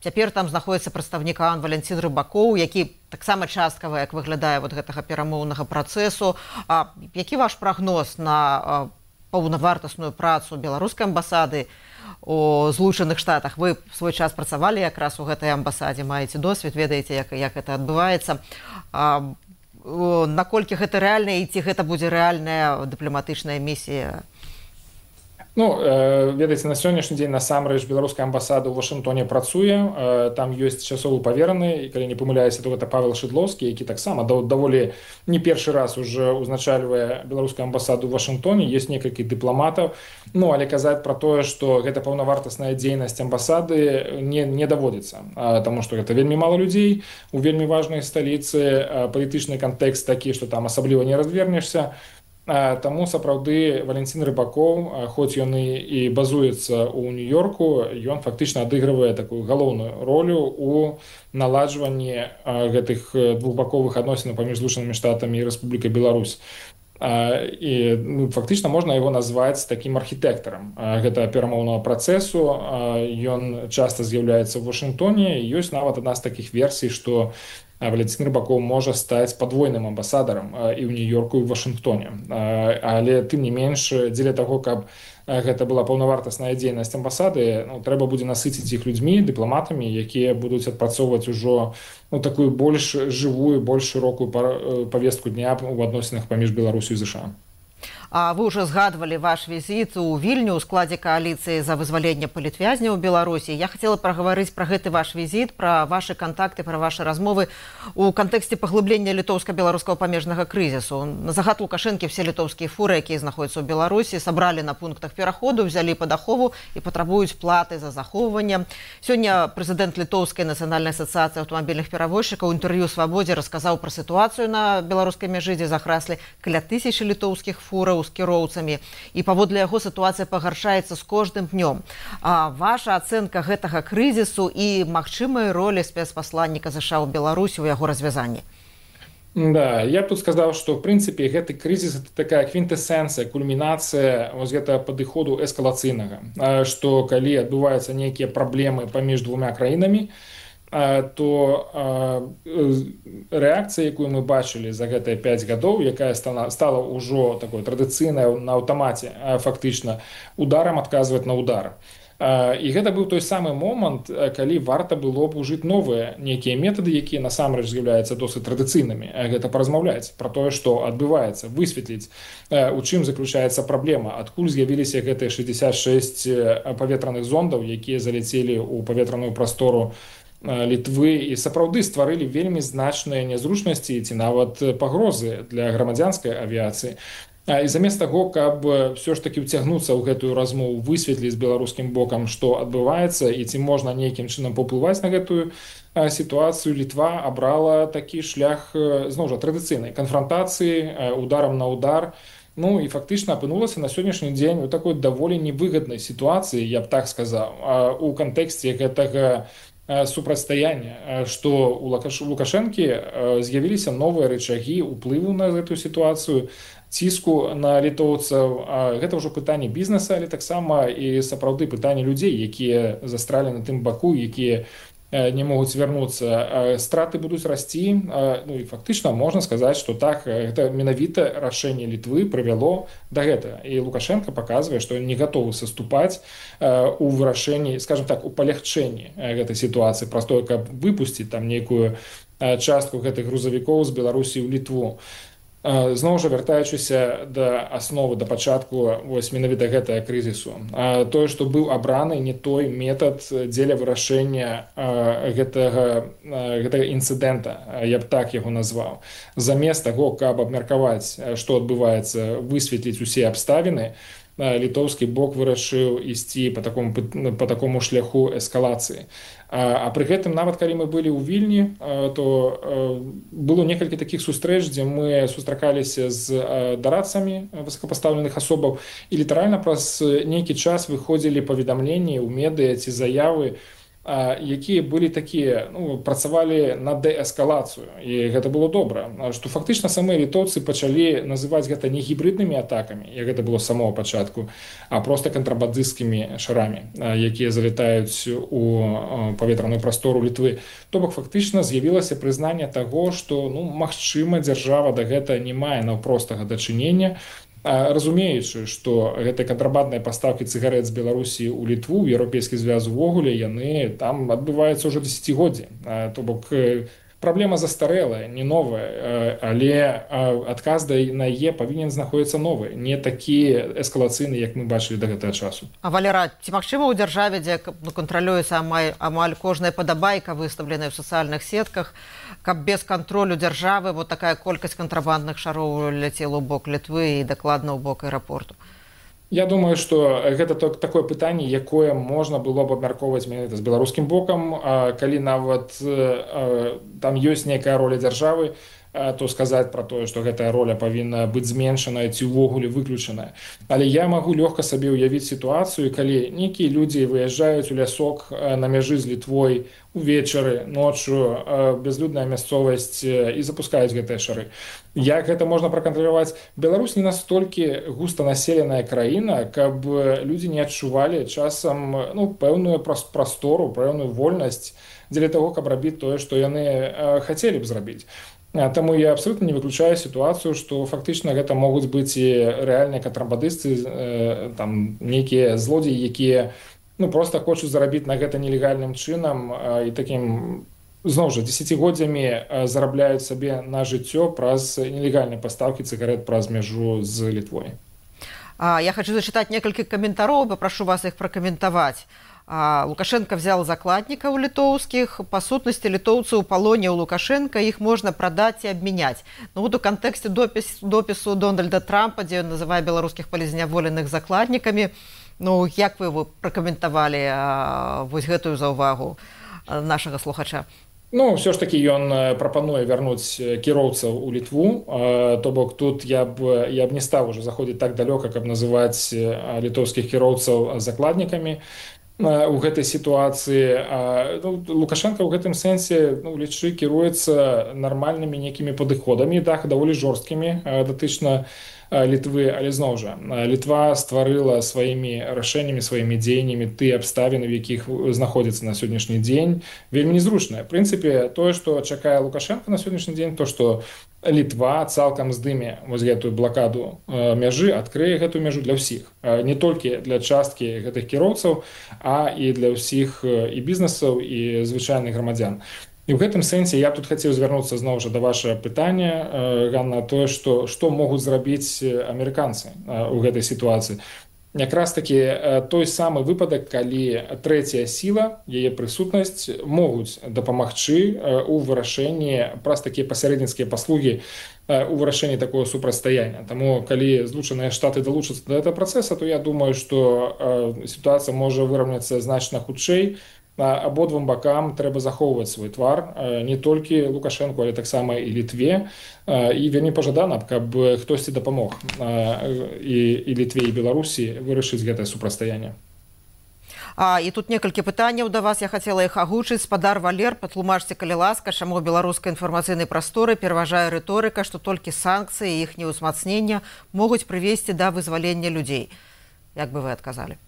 Цяпер там знаходзіцца прадстаўнік Валянцін Рыбакоў, які таксама часткава, як выглядае гэтага перамоўнага працэсу. Які ваш прагноз на паўнавартасную працу беларускай амбасады у Злучаных Штатах? Вы в свой час працавалі якраз у гэтай амбасадзе, маеце досвед, ведаеце, як гэта адбываецца. Наколькі гэта рэальна і ці гэта будзе рэальная дыпламатычная місія? Ведаеце, на сённяшні дзень насамрэч беларуская амбасада ў Вашынгтоне працуе, там ёсць часовы павераны, і калі не памыляюся, то гэта Павел Шыдлоўскі, які таксама даволі не першы раз уже узначальвае беларускую амбасаду ў Вашынгтоне, ёсць некалькі дыпламатаў, але казаць пра тое, што гэта паўнавартасная дзейнасць амбасады не даводзіцца, таму што гэта вельмі мала людзей у вельмі важнай сталіцы, палітычны кантэкст такі, што там асабліва не развернешся. Таму сапраўды Валянцін Рыбакоў, хоць ён і базуецца ў Нью-Йорку, ён фактычна адыгрывае такую галоўную ролю у наладжванні гэтых двухбаковых адносінаў паміж Злучанымі Штатамі і Рэспублікай Беларусь. і фактычна можна яго назваць такім архітэктарам гэтага перамоўнага працэсу. Ён часта з'яўляецца ў Вашынгтоне, і ёсць нават адна з такіх версій, што Владзімір Рыбакоў можа стаць падвойным амбасадарам і ў Нью-Йорку, і ў Вашынгтоне. Але тым не менш, дзеля таго, каб гэта была паўнавартасная дзейнасць амбасады, трэба будзе насыціць іх людзьмі, дыпламатамі, якія будуць адпрацоўваць ужо такую больш жывую, больш шырокую павестку дня ў адносінах паміж Беларусю і ЗША. Вы ўжо згадвалі ваш візіт у Вільню ў складзе кааліцыі за вызваленне палітвязняў у Беларусі. Я хацела прагаварыць пра гэты ваш візіт, пра вашы кантакты, пра вашы размовы у кантэксце паглыблення літоўска-беларускага памежнага крызісу. На загад Лукашэнкі все літоўскія фуры, якія знаходзяцца ў Беларусі, сабралі на пунктах пераходу, взялі пад ахову і патрабуюць платы за захоўванне. Сёння прэзідэнт Літоўскай нацыянальнай асацыяцыі аўтамабільных перавозчыкаў у інтэрв'ю «Свабодзе» расказаў пра сітуацыю на беларускай мяжы, дзе захраслі каля 1000 літоўскіх фураў з кіроўцамі, і паводле яго сітуацыя пагаршаецца з кожным днём. Ваша ацэнка гэтага крызісу і магчымай ролі спецпасланніка ЗША ў Беларусі ў яго развязанні? Да, я б тут сказаў, што ў прынцыпе гэты крызіс это такая квінтэсэнцыя, кульмінацыя вось гэтага падыходу эскалацыйнага, што калі адбываюцца нейкія праблемы паміж двума краінамі, то рэакцыя, якую мы бачылі за гэтыя 5 гадоў, якая стала ўжо такой традыцыйнай на аўтамаце, фактычна ударам адказваць на удар. І гэта быў той самы момант, калі варта было б ужыць новыя нейкія метады, якія насамрэч з'яўляюцца досыць традыцыйнымі. Гэта паразмаўляць пра тое, што адбываецца, высветліць, у чым заключаецца праблема, адкуль з'явіліся гэтыя 66 паветраных зондаў, якія заляцелі ў паветраную прастору Літвы і сапраўды стварылі вельмі значныя нязручнасці ці нават пагрозы для грамадзянскай авіяцыі. І замест таго, каб все ж таки ўцягнуцца ў гэтую размову, высветліць з беларускім бокам, што адбываецца і ці можна нейкім чынам паўплываць на гэтую сітуацыю, Літва абрала такі шлях, зноў жа, традыцыйнай канфрантацыі, ударам на удар. Ну і фактычна апынулася на сённяшні дзень у такой даволі невыгаднай сітуацыі, я б так сказаў, у кантэксце гэтага супрацьстаяння, што у Лукашэнкі з'явіліся новыя рычагі ўплыву на гэтую сітуацыю, ціску на літоўцаў. Гэта ўжо пытанне бізнеса, але таксама і сапраўды пытанне людзей, якія застралі на тым баку, якія не могуць вярнуцца. Страты будуць расці, ну і фактычна можна сказаць, што так, гэта менавіта рашэнне Літвы прывяло да гэтага. І Лукашенко паказвае, што ён не гатовы саступаць у вырашэнні, скажем так, у палягчэнні гэтай сітуацыі, праз тое, каб выпусціць там нейкую частку гэтых грузавікоў з Беларусі ў Літву. Зноў жа, вяртаючыся да асновы, да пачатку вось менавіта гэтага крызісу, тое, што быў абраны не той метад дзеля вырашэння гэтага інцыдэнта, я б так яго назваў. Замест таго, каб абмеркаваць, што адбываецца, высветліць усе абставіны, літоўскі бок вырашыў ісці па такому шляху эскалацыі. А пры гэтым, нават калі мы былі ў Вільні, то было некалькі такіх сустрэч, дзе мы сустракаліся з дарадцамі высокапастаўленых асобаў, і літаральна праз нейкі час выходзілі паведамленні ў медыа ці заявы, якія былі такія, ну, працавалі на дээскалацыю, і гэта было добра, што фактычна самыя літоўцы пачалі называць гэта не гібриднымі атакамі, як гэта было з самого пачатку, а проста кантрабандысцкімі шарамі, якія залетаюць у паветраную прастору Літвы. То бок фактычна з'явілася прызнанне таго, што, ну, магчыма, дзяржава да гэта не мае наўпростага дачынення, разумеючы, што гэтыя кантрабандныя пастаўкі цыгарэт з Беларусі ў Літву, ў Еўрапейскі звяз увогуле, яны там адбываюцца ўжо дзесяцігоддзі. То бок праблема застарэлая, не новая, але адказ на яе павінен знаходзіцца новы, не такі эскалацыйны, як мы бачылі да гэтага часу. Валера, ці магчыма ў дзяржаве, дзе кантралюецца амаль кожная падабайка, выстаўленая ў сацыяльных сетках, каб без кантролю дзяржавы вот такая колькасць кантрабандных шароў ляцела ў бок Літвы і дакладна ў бок аэрапорту? Я думаю, што гэта такое пытанне, якое можна было б абмяркоўваць менавіта з беларускім бокам, калі нават там ёсць нейкая роля дзяржавы, то сказаць пра тое, што гэтая роля павінна быць зменшаная ці ўвогуле выключаная. Але я магу лёгка сабе ўявіць сітуацыю, калі нейкія людзі выязджаюць у лясок на мяжы з Літвой увечары, ноччу, бязлюдная мясцовасць і запускаюць гэтыя шары. Як гэта можна пракантраляваць? Беларусь не настолькі густанаселеная краіна, каб людзі не адчувалі часам пэўную прастору, пэўную вольнасць дзеля таго, каб рабіць тое, што яны хацелі б зрабіць. Таму я абсолютно не выключаю сітуацыю, што фактычна гэта могуць быць і рэальныя кантрабандысты, нейкія злодзеі, якія проста хочуць зарабіць на гэта нелегальным чынам і такім, зноў жа, дзесяцігоддзямі зарабляюць сабе на жыццё праз нелегальныя пастаўкі цыгарет праз мяжу з Літвой. Я хочу зачитать некалькі каментароў, попрошу вас іх пракаментаваць. Лукашенко взял закладников литовских. По сутности, литовцы у палоне у Лукашенко, их можно продать и обменять. Ну вот у контексте допису Дональда Трампа, где он называет белорусских полезняволеных закладниками, як вы его прокомментовали вот гэтую заўвагу нашего слухача? Все ж таки ён прапануе вярнуць кіроўцаў у Літву, то бок тут я б не стаў уже заходзіць так далёка, каб называць літоўскіх кіроўцаў закладнікамі у гэтай сітуацыі. Лукашенко ў гэтым сэнсе лічы кіруецца нармальнымі нейкімі падыходамі, так, даволі жорсткімі датычна Літвы, але зноў жа, Літва стварыла сваімі рашэннямі, сваімі дзеяннямі тыя абставіны, в якіх знаходзіцца на сённяшні дзень, вельмі незручнае. В прынцыпе, тое, што чакае Лукашенко на сённяшні дзень, то, што Літва цалкам здыме вось гэтую блакаду мяжы, адкрые гэтую мяжу для ўсіх. Не толькі для часткі гэтых кіроўцаў, а і для ўсіх і бізнесаў, і звычайных грамадзян. І ў гэтым сэнсе я б тут хацеў звярнуцца зноў жа да вашага пытання, Ганна, тое, што могуць зрабіць амерыканцы ў гэтай сітуацыі. Якраз такі той самы выпадак, калі трэцяя сіла, яе прысутнасць могуць дапамагчы ў вырашэнні праз такія пасярэдніцкія паслугі у вырашэнні такого супрацьстаяння. Таму, калі Злучаныя Штаты далучацца да гэтага працэса, то я думаю, што сітуацыя можа выраўняцца значна хутчэй. Абодвум бакам трэба захоўваць свой твар, не толькі Лукашенку, але таксама і Літве. І вельмі пажадана, каб хтосьці дапамог і Літве, і Беларусі вырашыць гэтае супрацьстаянне. І тут некалькі пытанняў да вас, я хацела іх агучыць. Спадар Валер, патлумачце, калі ласка, чаму беларускай інфармацыйнай прасторы пераважае рыторыка, што толькі санкцыі і іхняе ўзмацнення могуць прывесці да вызвалення людзей. Як бы вы адказалі?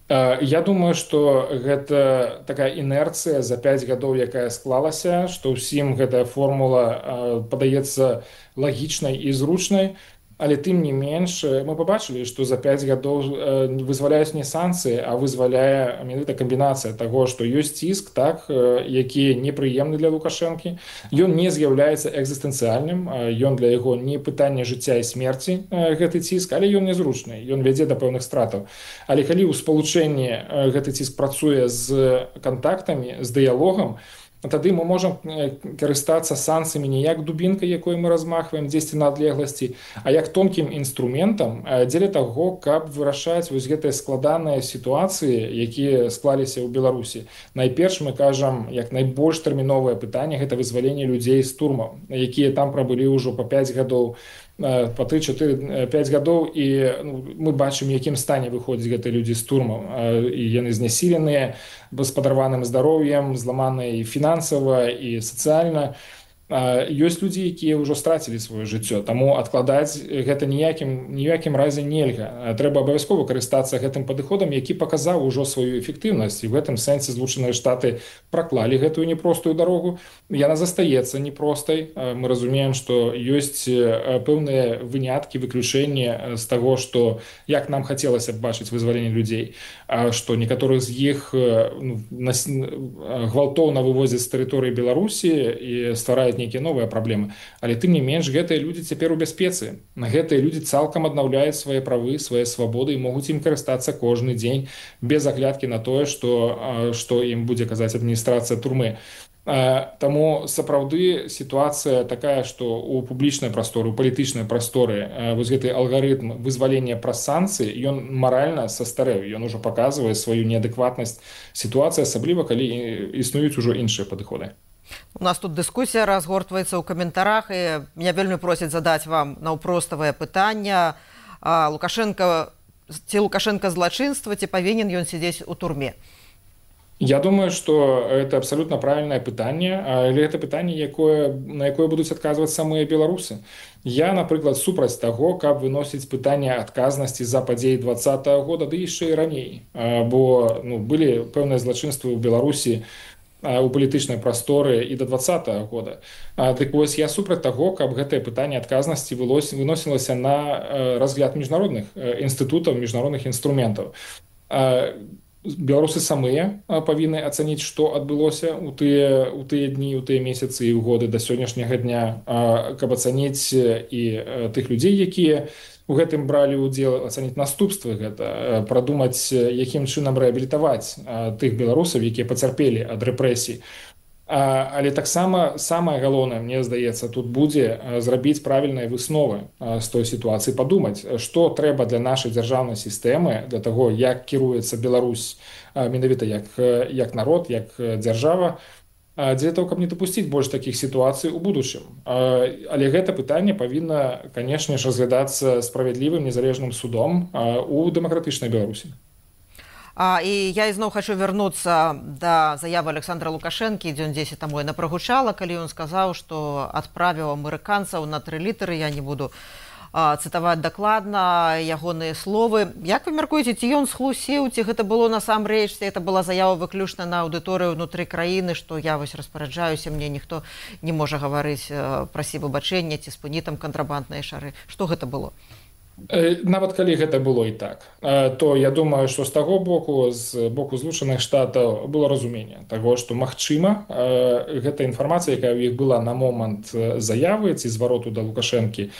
Я думаю, што гэта такая інерцыя за 5 гадоў, якая склалася, што ўсім гэтая формула падаецца лагічнай і зручнай, але тым не менш мы пабачылі, што за 5 гадоў вызваляюць не санкцыі, а вызваляе менавіта камбінацыя таго, што ёсць ціск, так, які непрыемны для Лукашэнкі. Ён не з'яўляецца экзістэнцыяльным, ён для яго не пытанне жыцця і смерці гэты ціск, але ён незручны, ён вядзе да пэўных стратаў. Але калі ў спалучэнні гэты ціск працуе з кантактамі, з дыялогам, тады мы можам карыстацца санкцыямі не як дубінкай, якой мы размахваем дзесьці на адлегласці, а як тонкім інструментам дзеля таго, каб вырашаць вось гэтыя складаныя сітуацыі, якія склаліся ў Беларусі. Найперш мы кажам, як найбольш тэрміновае пытанне гэта вызваленне людзей з турмаў, якія там прабылі ўжо па 5 гадоў, па 3-4-5 гадоў, і мы бачым, якім стане выходзяць гэтыя людзі з турмаў. І яны знясіленыя, з падарваным здароўем, зламаныя і фінансава, і сацыяльна. Ёсць людзі, якія ўжо страцілі сваё жыццё, таму адкладаць гэта ніякім разе нельга. Трэба абавязкова карыстацца гэтым падыходам, які паказаў ужо сваю эфектыўнасць, і в гэтым сэнсе Злучаныя Штаты праклалі гэтую непростую дарогу. Яна застаецца непростай. Мы разумеем, што ёсць пэўныя выняткі, выключэнні з таго, што як нам хацелася б бачыць вызваленне людзей, што некаторых з іх гвалтоўна вывозяць з тэрыторыі Беларусі і ствараюць нейкія новыя праблемы. Але тым не менш, гэтыя людзі цяпер у бяспецы. Гэтыя людзі цалкам аднаўляюць свае правы, свае свабоды і могуць ім карыстацца кожны дзень без аглядкі на тое, што ім будзе казаць адміністрацыя турмы. Таму сапраўды сітуацыя такая, што ў публічнай прасторы, у палітычнай прасторы вось гэты алгарытм вызвалення праз санкцыі, ён маральна састарэў, ён ужо паказвае сваю неадэкватнасць сітуацыі, асабліва калі існуюць ужо іншыя падыходы. У нас тут дыскусія разгортваецца ў каментарах, і меня вельмі просяць задаць вам наўпроставае пытанне. Ці Лукашенко злачынства, ці павінен ён сядзець у турме? Я думаю, что это абсолютно правильное пытанне, але это пытанне, на якое будуць адказваць самыя беларусы. Я, напрыклад, супраць таго, каб выносіць пытанне адказнасці за падзеі 2020 года, ды яшчэ і раней. Бо былі пэўныя злачынствы ў Беларусі у палітычнай прасторы і до 2020 года. Дык вось я супраць таго, каб гэтае пытанне адказнасці выносілася на разгляд міжнародных інстытутаў, міжнародных інструментаў. Беларусы самыя павінны ацаніць, што адбылося ў тыя дні, у тыя месяцы і ў годы да сённяшняга дня, каб ацаніць і тых людзей, якія у гэтым бралі ўдзел, ацаніць наступствы гэта, прадумаць, якім чынам рэабілітаваць тых беларусаў, якія пацярпелі ад рэпрэсій. Але таксама самае галоўнае, мне здаецца, тут будзе зрабіць правільныя высновы з той сітуацыі, падумаць, што трэба для нашай дзяржаўнай сістэмы, для таго, як кіруецца Беларусь, менавіта як народ, як дзяржава, для того, каб не дапусціць больш такіх сітуацый у будучым. Але гэта пытанне павінна, канешне ж, разглядацца справядлівым незалежным судом у дэмакратычнай Беларусі. І я ізноў хочу вярнуцца да заявы Александра Лукашэнкі, дзён 10 таму яна прагучала, калі ён сказаў, што адправіў амерыканцаў на 3 літары. Я не буду цытаваць дакладна ягоныя словы. Як вы мяркуеце, ці ён схлусіў, ці гэта было насамрэч, ці гэта была заява выключна на аўдыторыю ўнутры краіны, што я вось распараджаюся, мне ніхто не можа гаварыць, прасі выбачэння, ці спыні там кантрабандныя шары. Што гэта было? Нават калі гэта было і так, то я думаю, што з таго боку, з боку Злучаных Штатаў, было разуменне таго, што магчыма, гэта інфармацыя, якая ў іх была на момант заявы ці звароту да Лукашэнкі,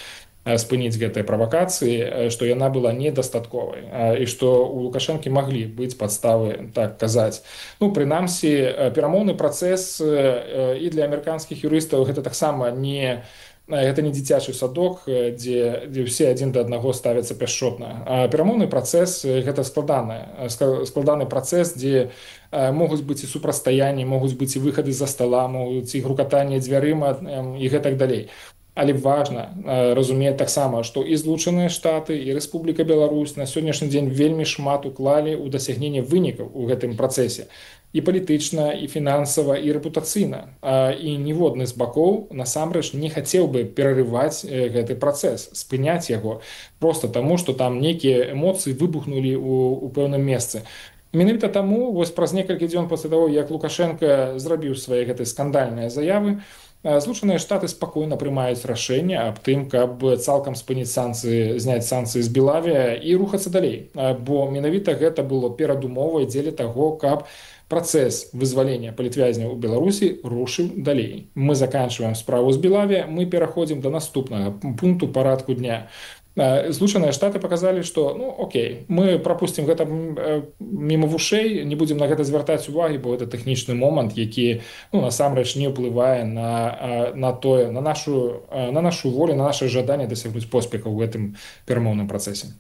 спыніць гэтай правакацыі, што яна была недастатковай і што у Лукашэнкі маглі быць падставы так казаць. Прынамсі, перамоўны працэс і для амерыканскіх юрыстаў гэта таксама не дзіцячы садок, дзе ўсе адзін да аднаго ставяцца пяшчотна. Перамоўны працэс гэта складаны працэс, дзе могуць быць і супрацьстаянні, могуць быць і выхады з-за стала, могуць і грукатанне дзвярыма і гэтак далей. Але важна разумець таксама, што і Злучаныя Штаты, і Рэспубліка Беларусь на сённяшні дзень вельмі шмат уклалі ў дасягненне вынікаў у гэтым працэсе. І палітычна, і фінансава, і рэпутацыйна. І ніводны з бакоў насамрэч не хацеў бы перарываць гэты працэс, спыняць яго, проста таму, што там нейкія эмоцыі выбухнулі ў пэўным месцы. Менавіта таму, вось праз некалькі дзён пасля таго, як Лукашенко зрабіў свае гэтай скандальныя заявы, Злучаныя Штаты спакойна прымаюць рашэнне аб тым, каб цалкам спыніць санкцыі, зняць санкцыі з Белавія і рухацца далей. Бо менавіта гэта было перадумовай дзеля таго, каб працэс вызвалення палітвязняў у Беларусі рушыў далей. Мы заканчиваем справу з Белавія, мы пераходзім да наступнага пункту парадку дня. Злучаныя Штаты показалі, што окей, мы прапусцім гэта міма вушэй, не будзем на гэта звяртаць увагі, бо гэта тэхнічны момант, які насамрэч не ўплывае на нашу волю, на наше жаданне дасягнуць поспехаў у гэтым перамоўным працэсе.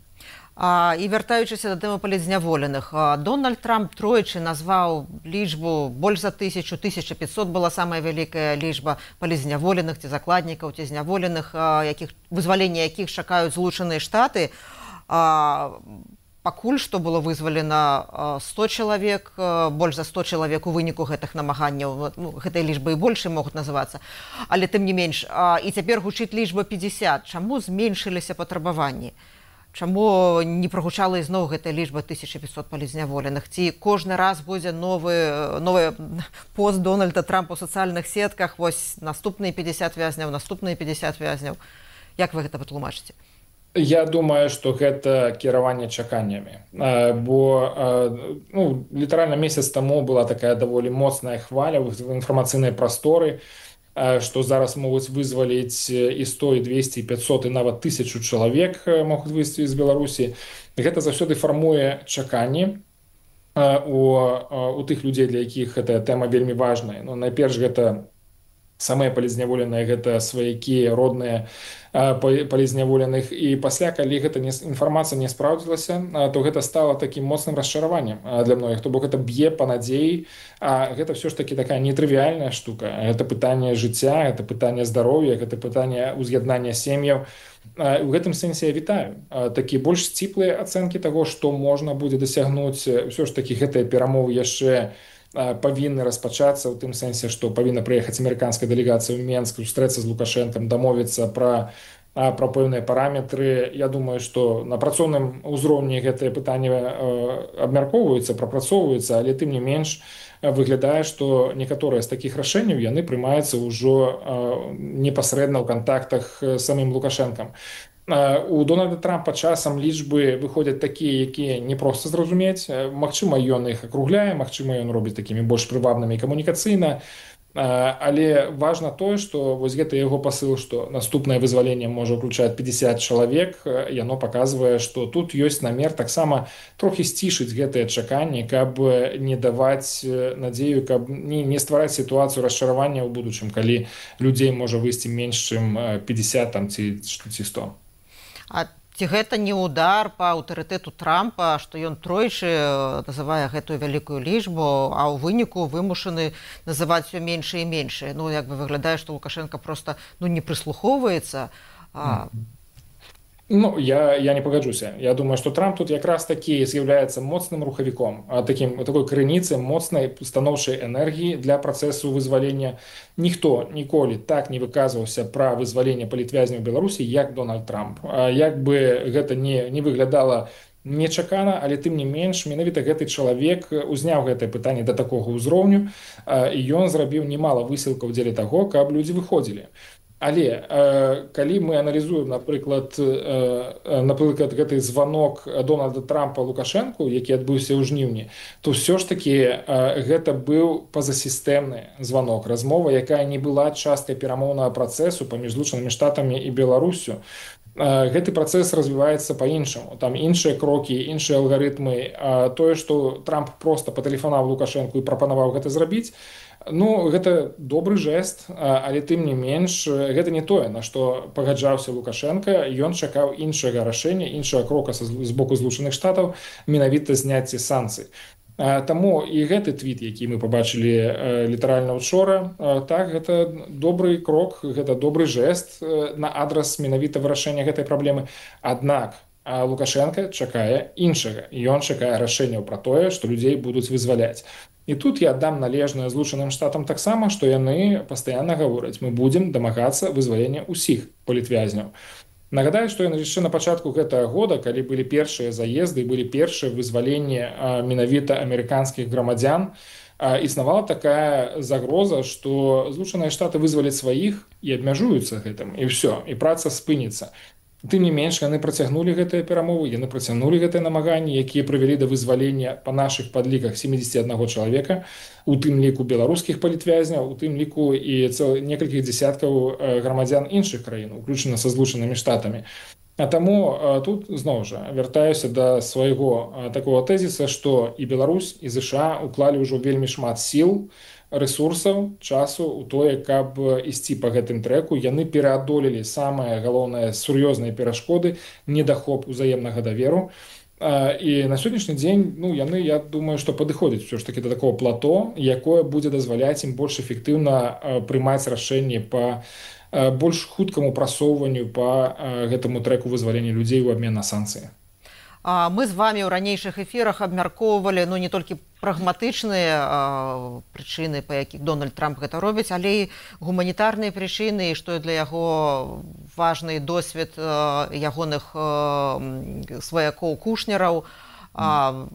І вяртаючыся да тэмы палізняволеных, Дональд Трамп тройчы назваў лічбу больш за 1500 была самая вялікая лічба палізняволеных ці закладнікаў, ці зняволеных, вызвалення якіх чакаюць Злучаныя Штаты. Пакуль што было вызвалена 100 чалавек, больш за 100 чалавек у выніку гэтых намаганняў, гэтыя лічбы і большыя могуць называцца, але тым не менш. І цяпер гучыць лічба 50. Чаму зменшыліся патрабаванні? Чаму не прагучала ізноў гэтая лічба 1500 палізняволеных? Ці кожны раз будзе новы пост Дональда Трампа ў сацыяльных сетках, вось наступныя 50 вязняў, наступныя 50 вязняў. Як вы гэта патлумачыце? Я думаю, што гэта кіраванне чаканнямі, бо літаральна месяц таму была такая даволі моцная хваля в інфармацыйнай прасторы, што зараз могуць вызваліць і 100, і 200, і 500, і нават 1000 чалавек могуць выйсці з Беларусі. Гэта заўсёды фармуе чаканні у тых людзей, для якіх гэтая тэма вельмі важная. Найперш гэта самыя палізняволеныя гэта сваякі родныя палізняволеных, і пасля калі гэта інфармацыя не спраўдзілася, то гэта стала такім моцным расчараваннем для многіх, то бок гэта б'е па надзеі, а гэта все ж таки такая нетрывіальная штука, гэта пытанне жыцця, гэта пытанне здароўя, гэта пытанне уз'яднання сем'яў. У гэтым сэнсе я вітаю такія больш сціплыя ацэнкі таго, што можна будзе дасягнуць. Все ж таки гэтыя перамовы яшчэ павінны распачацца ў тым сэнсе, што павінна прыехаць амерыканская дэлегацыя ў Менск, сустрэцца з Лукашэнкам, дамовіцца пра пэўныя параметры. Я думаю, што на працоўным узроўні гэтыя пытанні абмяркоўваюцца, прапрацоўваюцца, але тым не менш выглядае, што некаторыя з такіх рашэнняў яны прымаюцца ўжо непасрэдна ў кантактах з самім Лукашэнкам. У Дональда Трампа часам лічбы выходзяць такія, якія не проста зразумець. Магчыма, ён іх акругляе, магчыма, ён робіць такімі больш прывабнымі камунікацыйна. Але важна тое, што вось гэта яго пасыл, што наступнае вызваленне можа ўключаць 50 чалавек, яно паказвае, што тут ёсць намер таксама трохі сцішыць гэтыя чаканні, каб не даваць надзею, каб не ствараць сітуацыю расчаравання ў будучым, калі людзей можа выйсці менш, чым 50 там, ці 100. А ці гэта не удар па аўтарытэту Трампа, што ён тройчы называе гэтую вялікую лічбу, а ў выніку вымушаны называць все меншае і меншае. Ну, як бы выглядае, што Лукашенко просто не прыслухоўваецца. Ну, я не пагаджуся. Я думаю, што Трамп тут якраз такі з'яўляецца моцным рухавіком, такой крыніцай моцнай станоўчай энергіі для працэсу вызвалення. Ніхто ніколі так не выказваўся пра вызваленне палітвязняў Беларусі, як Дональд Трамп. Як бы гэта не выглядала нечакана, але тым не менш, менавіта гэты чалавек узняў гэтае пытанне да такога ўзроўню, і ён зрабіў немала высілкаў дзеля таго, каб людзі выходзілі. Але калі мы аналізуем, напрыклад, гэты званок Дональда Трампа Лукашэнку, які адбыўся ў жніўні, то ўсё ж такі гэта быў пазасістэмны званок, размова, якая не была часткай перамоўнага працэсу паміж Злучанымі Штатамі і Беларусю. Гэты працэс развіваецца па-іншаму. Там іншыя крокі, іншыя алгарытмы. Тое, што Трамп проста патэлефанаваў Лукашэнку і прапанаваў гэта зрабіць, ну, гэта добры жэст, але тым не менш, гэта не тое, на што пагаджаўся Лукашенко. Ён чакаў іншага рашэння, іншага крока з боку Злучаных Штатаў, менавіта зняцце санкцый. Таму і гэты твіт, які мы пабачылі літаральна учора, так, гэта добры крок, гэта добры жэст на адрас менавіта вырашэння гэтай праблемы. Аднак Лукашенко чакае іншага. Ён чакае рашэнняў пра тое, што людзей будуць вызваляць. І тут я аддам належнае Злучаным Штатам таксама, што яны пастаянна гавораць, мы будзем дамагацца вызвалення ўсіх палітвязняў. Нагадаю, што яшчэ на пачатку гэтага года, калі былі першыя заезды, былі першыя вызваленні менавіта амерыканскіх грамадзян, існавала такая загроза, што Злучаныя Штаты вызваляць сваіх і абмяжуюцца гэтым, і ўсё, і праца спыніцца. Тым не менш, яны працягнулі гэтыя перамовы, яны працягнулі гэтыя намаганні, якія прывялі да вызвалення па нашых падліках 71 чалавека, у тым ліку беларускіх палітвязняў, у тым ліку і некалькіх дзесяткаў грамадзян іншых краін, уключана са Злучанымі Штатамі. А таму тут, зноў жа, вяртаюся да свайго такого тэзіса, што і Беларусь, і ЗША уклалі ўжо вельмі шмат сіл, рэсурсаў, часу ў тое, каб ісці па гэтым трэку. Яны пераадолелі самыя галоўныя сур'ёзныя перашкоды, недахоп узаемнага даверу. І на сённяшні дзень, ну, яны, я думаю, што падыходзяць ўсё ж такі да такого плато, якое будзе дазваляць ім больш эфектыўна прымаць рашэнні па больш хуткаму прасоўванню па гэтаму трэку вызвалення людзей у абмен на санкцыі. Мы з вами ў ранейшых эфірах абмяркоўвалі не толькі прагматычныя прычыны, па якіх Дональд Трамп гэта робіць, але і гуманітарныя прычыны, што для яго важны досвед ягоных сваякоў кушнераў,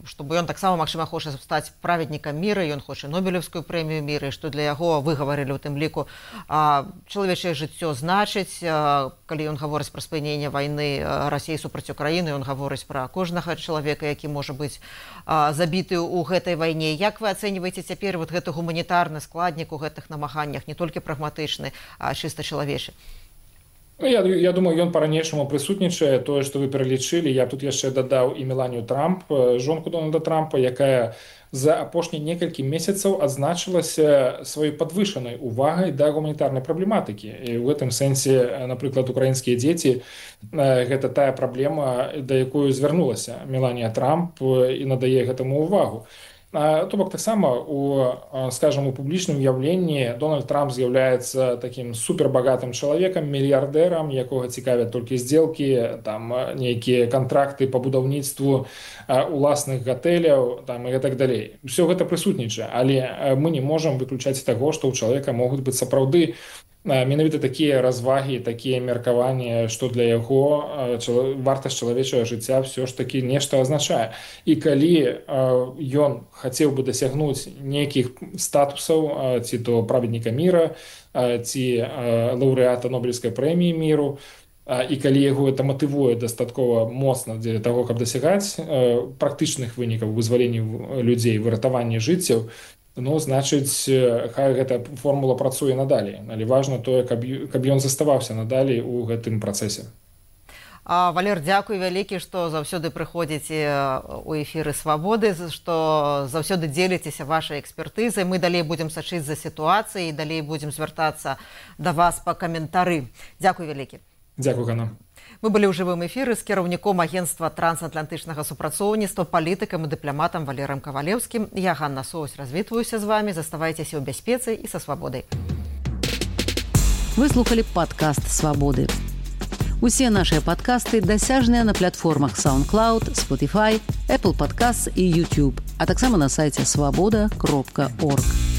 чтобы ён таксама, магчыма, хоча стаць праведнікам міра, ён хоча Нобелевскую прэмію міра, і што для яго выгаварылі ў тым ліку чалавечае жыццё значыць. Калі ён гаворыць пра спыненне вайны Расіі супраць Украіны, ён гаворыць пра кожнага чалавека, які можа быць забіты ў гэтай вайне. Як вы ацэньваеце цяпер гэты гуманітарны складнік у гэтых намаганнях, не толькі прагматычны, а чыста чалавечы? Я думаю, ён па-ранейшаму прысутнічае. Тое, што вы пералічылі, я тут яшчэ дадаў і Меланію Трамп, жонку Дональда Трампа, якая за апошнія некалькі месяцаў адзначылася сваёй падвышанай увагай да гуманітарнай праблематыкі. І ў гэтым сэнсе, напрыклад, украінскія дзеці гэта тая праблема, да якой звярнулася Меланія Трамп і надае гэтаму увагу. То бок таксама скажем, у публічным уяўленні Дональд Трамп з'яўляецца такім супербагатым чалавекам, мільярдэрам, якога цікавят толькі здзелкі, там нейкія кантракты па будаўніцтву уласных гатэляў, там і так далей. Усё гэта прысутнічае, але мы не можам выключаць таго, што ў чалавека могуць быць сапраўды менавіта такія развагі, такія меркаванні, што для яго вартасць чалавечага жыцця ўсё ж такі нешта азначае. І калі ён хацеў бы дасягнуць нейкіх статусаў, ці то праведніка міра, ці лаўрэата Нобелевскай прэміі міру, і калі яго это матывуе дастаткова моцна для таго, каб дасягаць практычных вынікаў вызвалення людзей, выратавання жыццяў, значыць, хай гэта формула працуе надалей. Але важна тое, каб ён заставаўся надалей у гэтым працэсе. Валер, дзякуй вялікі, што заўсёды прыходзіце у эфіры «Свабоды», што заўсёды дзеліцеся вашай экспертызай. Мы далей будзем сачыць за сітуацыяй, далей будзем звяртацца да вас па каментары. Дзякуй вялікі. Дзякуй, Ганна. Мы былі ў жывым эфіры з кіраўніком агенцтва трансатлантычнага супрацоўніцтва, палітыкам і дыпламатам Валерам Кавалеўскім. Я, Ганна Соусь, развітваюся з вамі. Заставайцеся ў бяспецы і са свабодай. Вы слухали падкаст «Свабоды». Усе нашыя падкасты дасяжныя на платформах SoundCloud, Spotify, Apple Podcasts і YouTube, а таксама на сайце swaboda.org.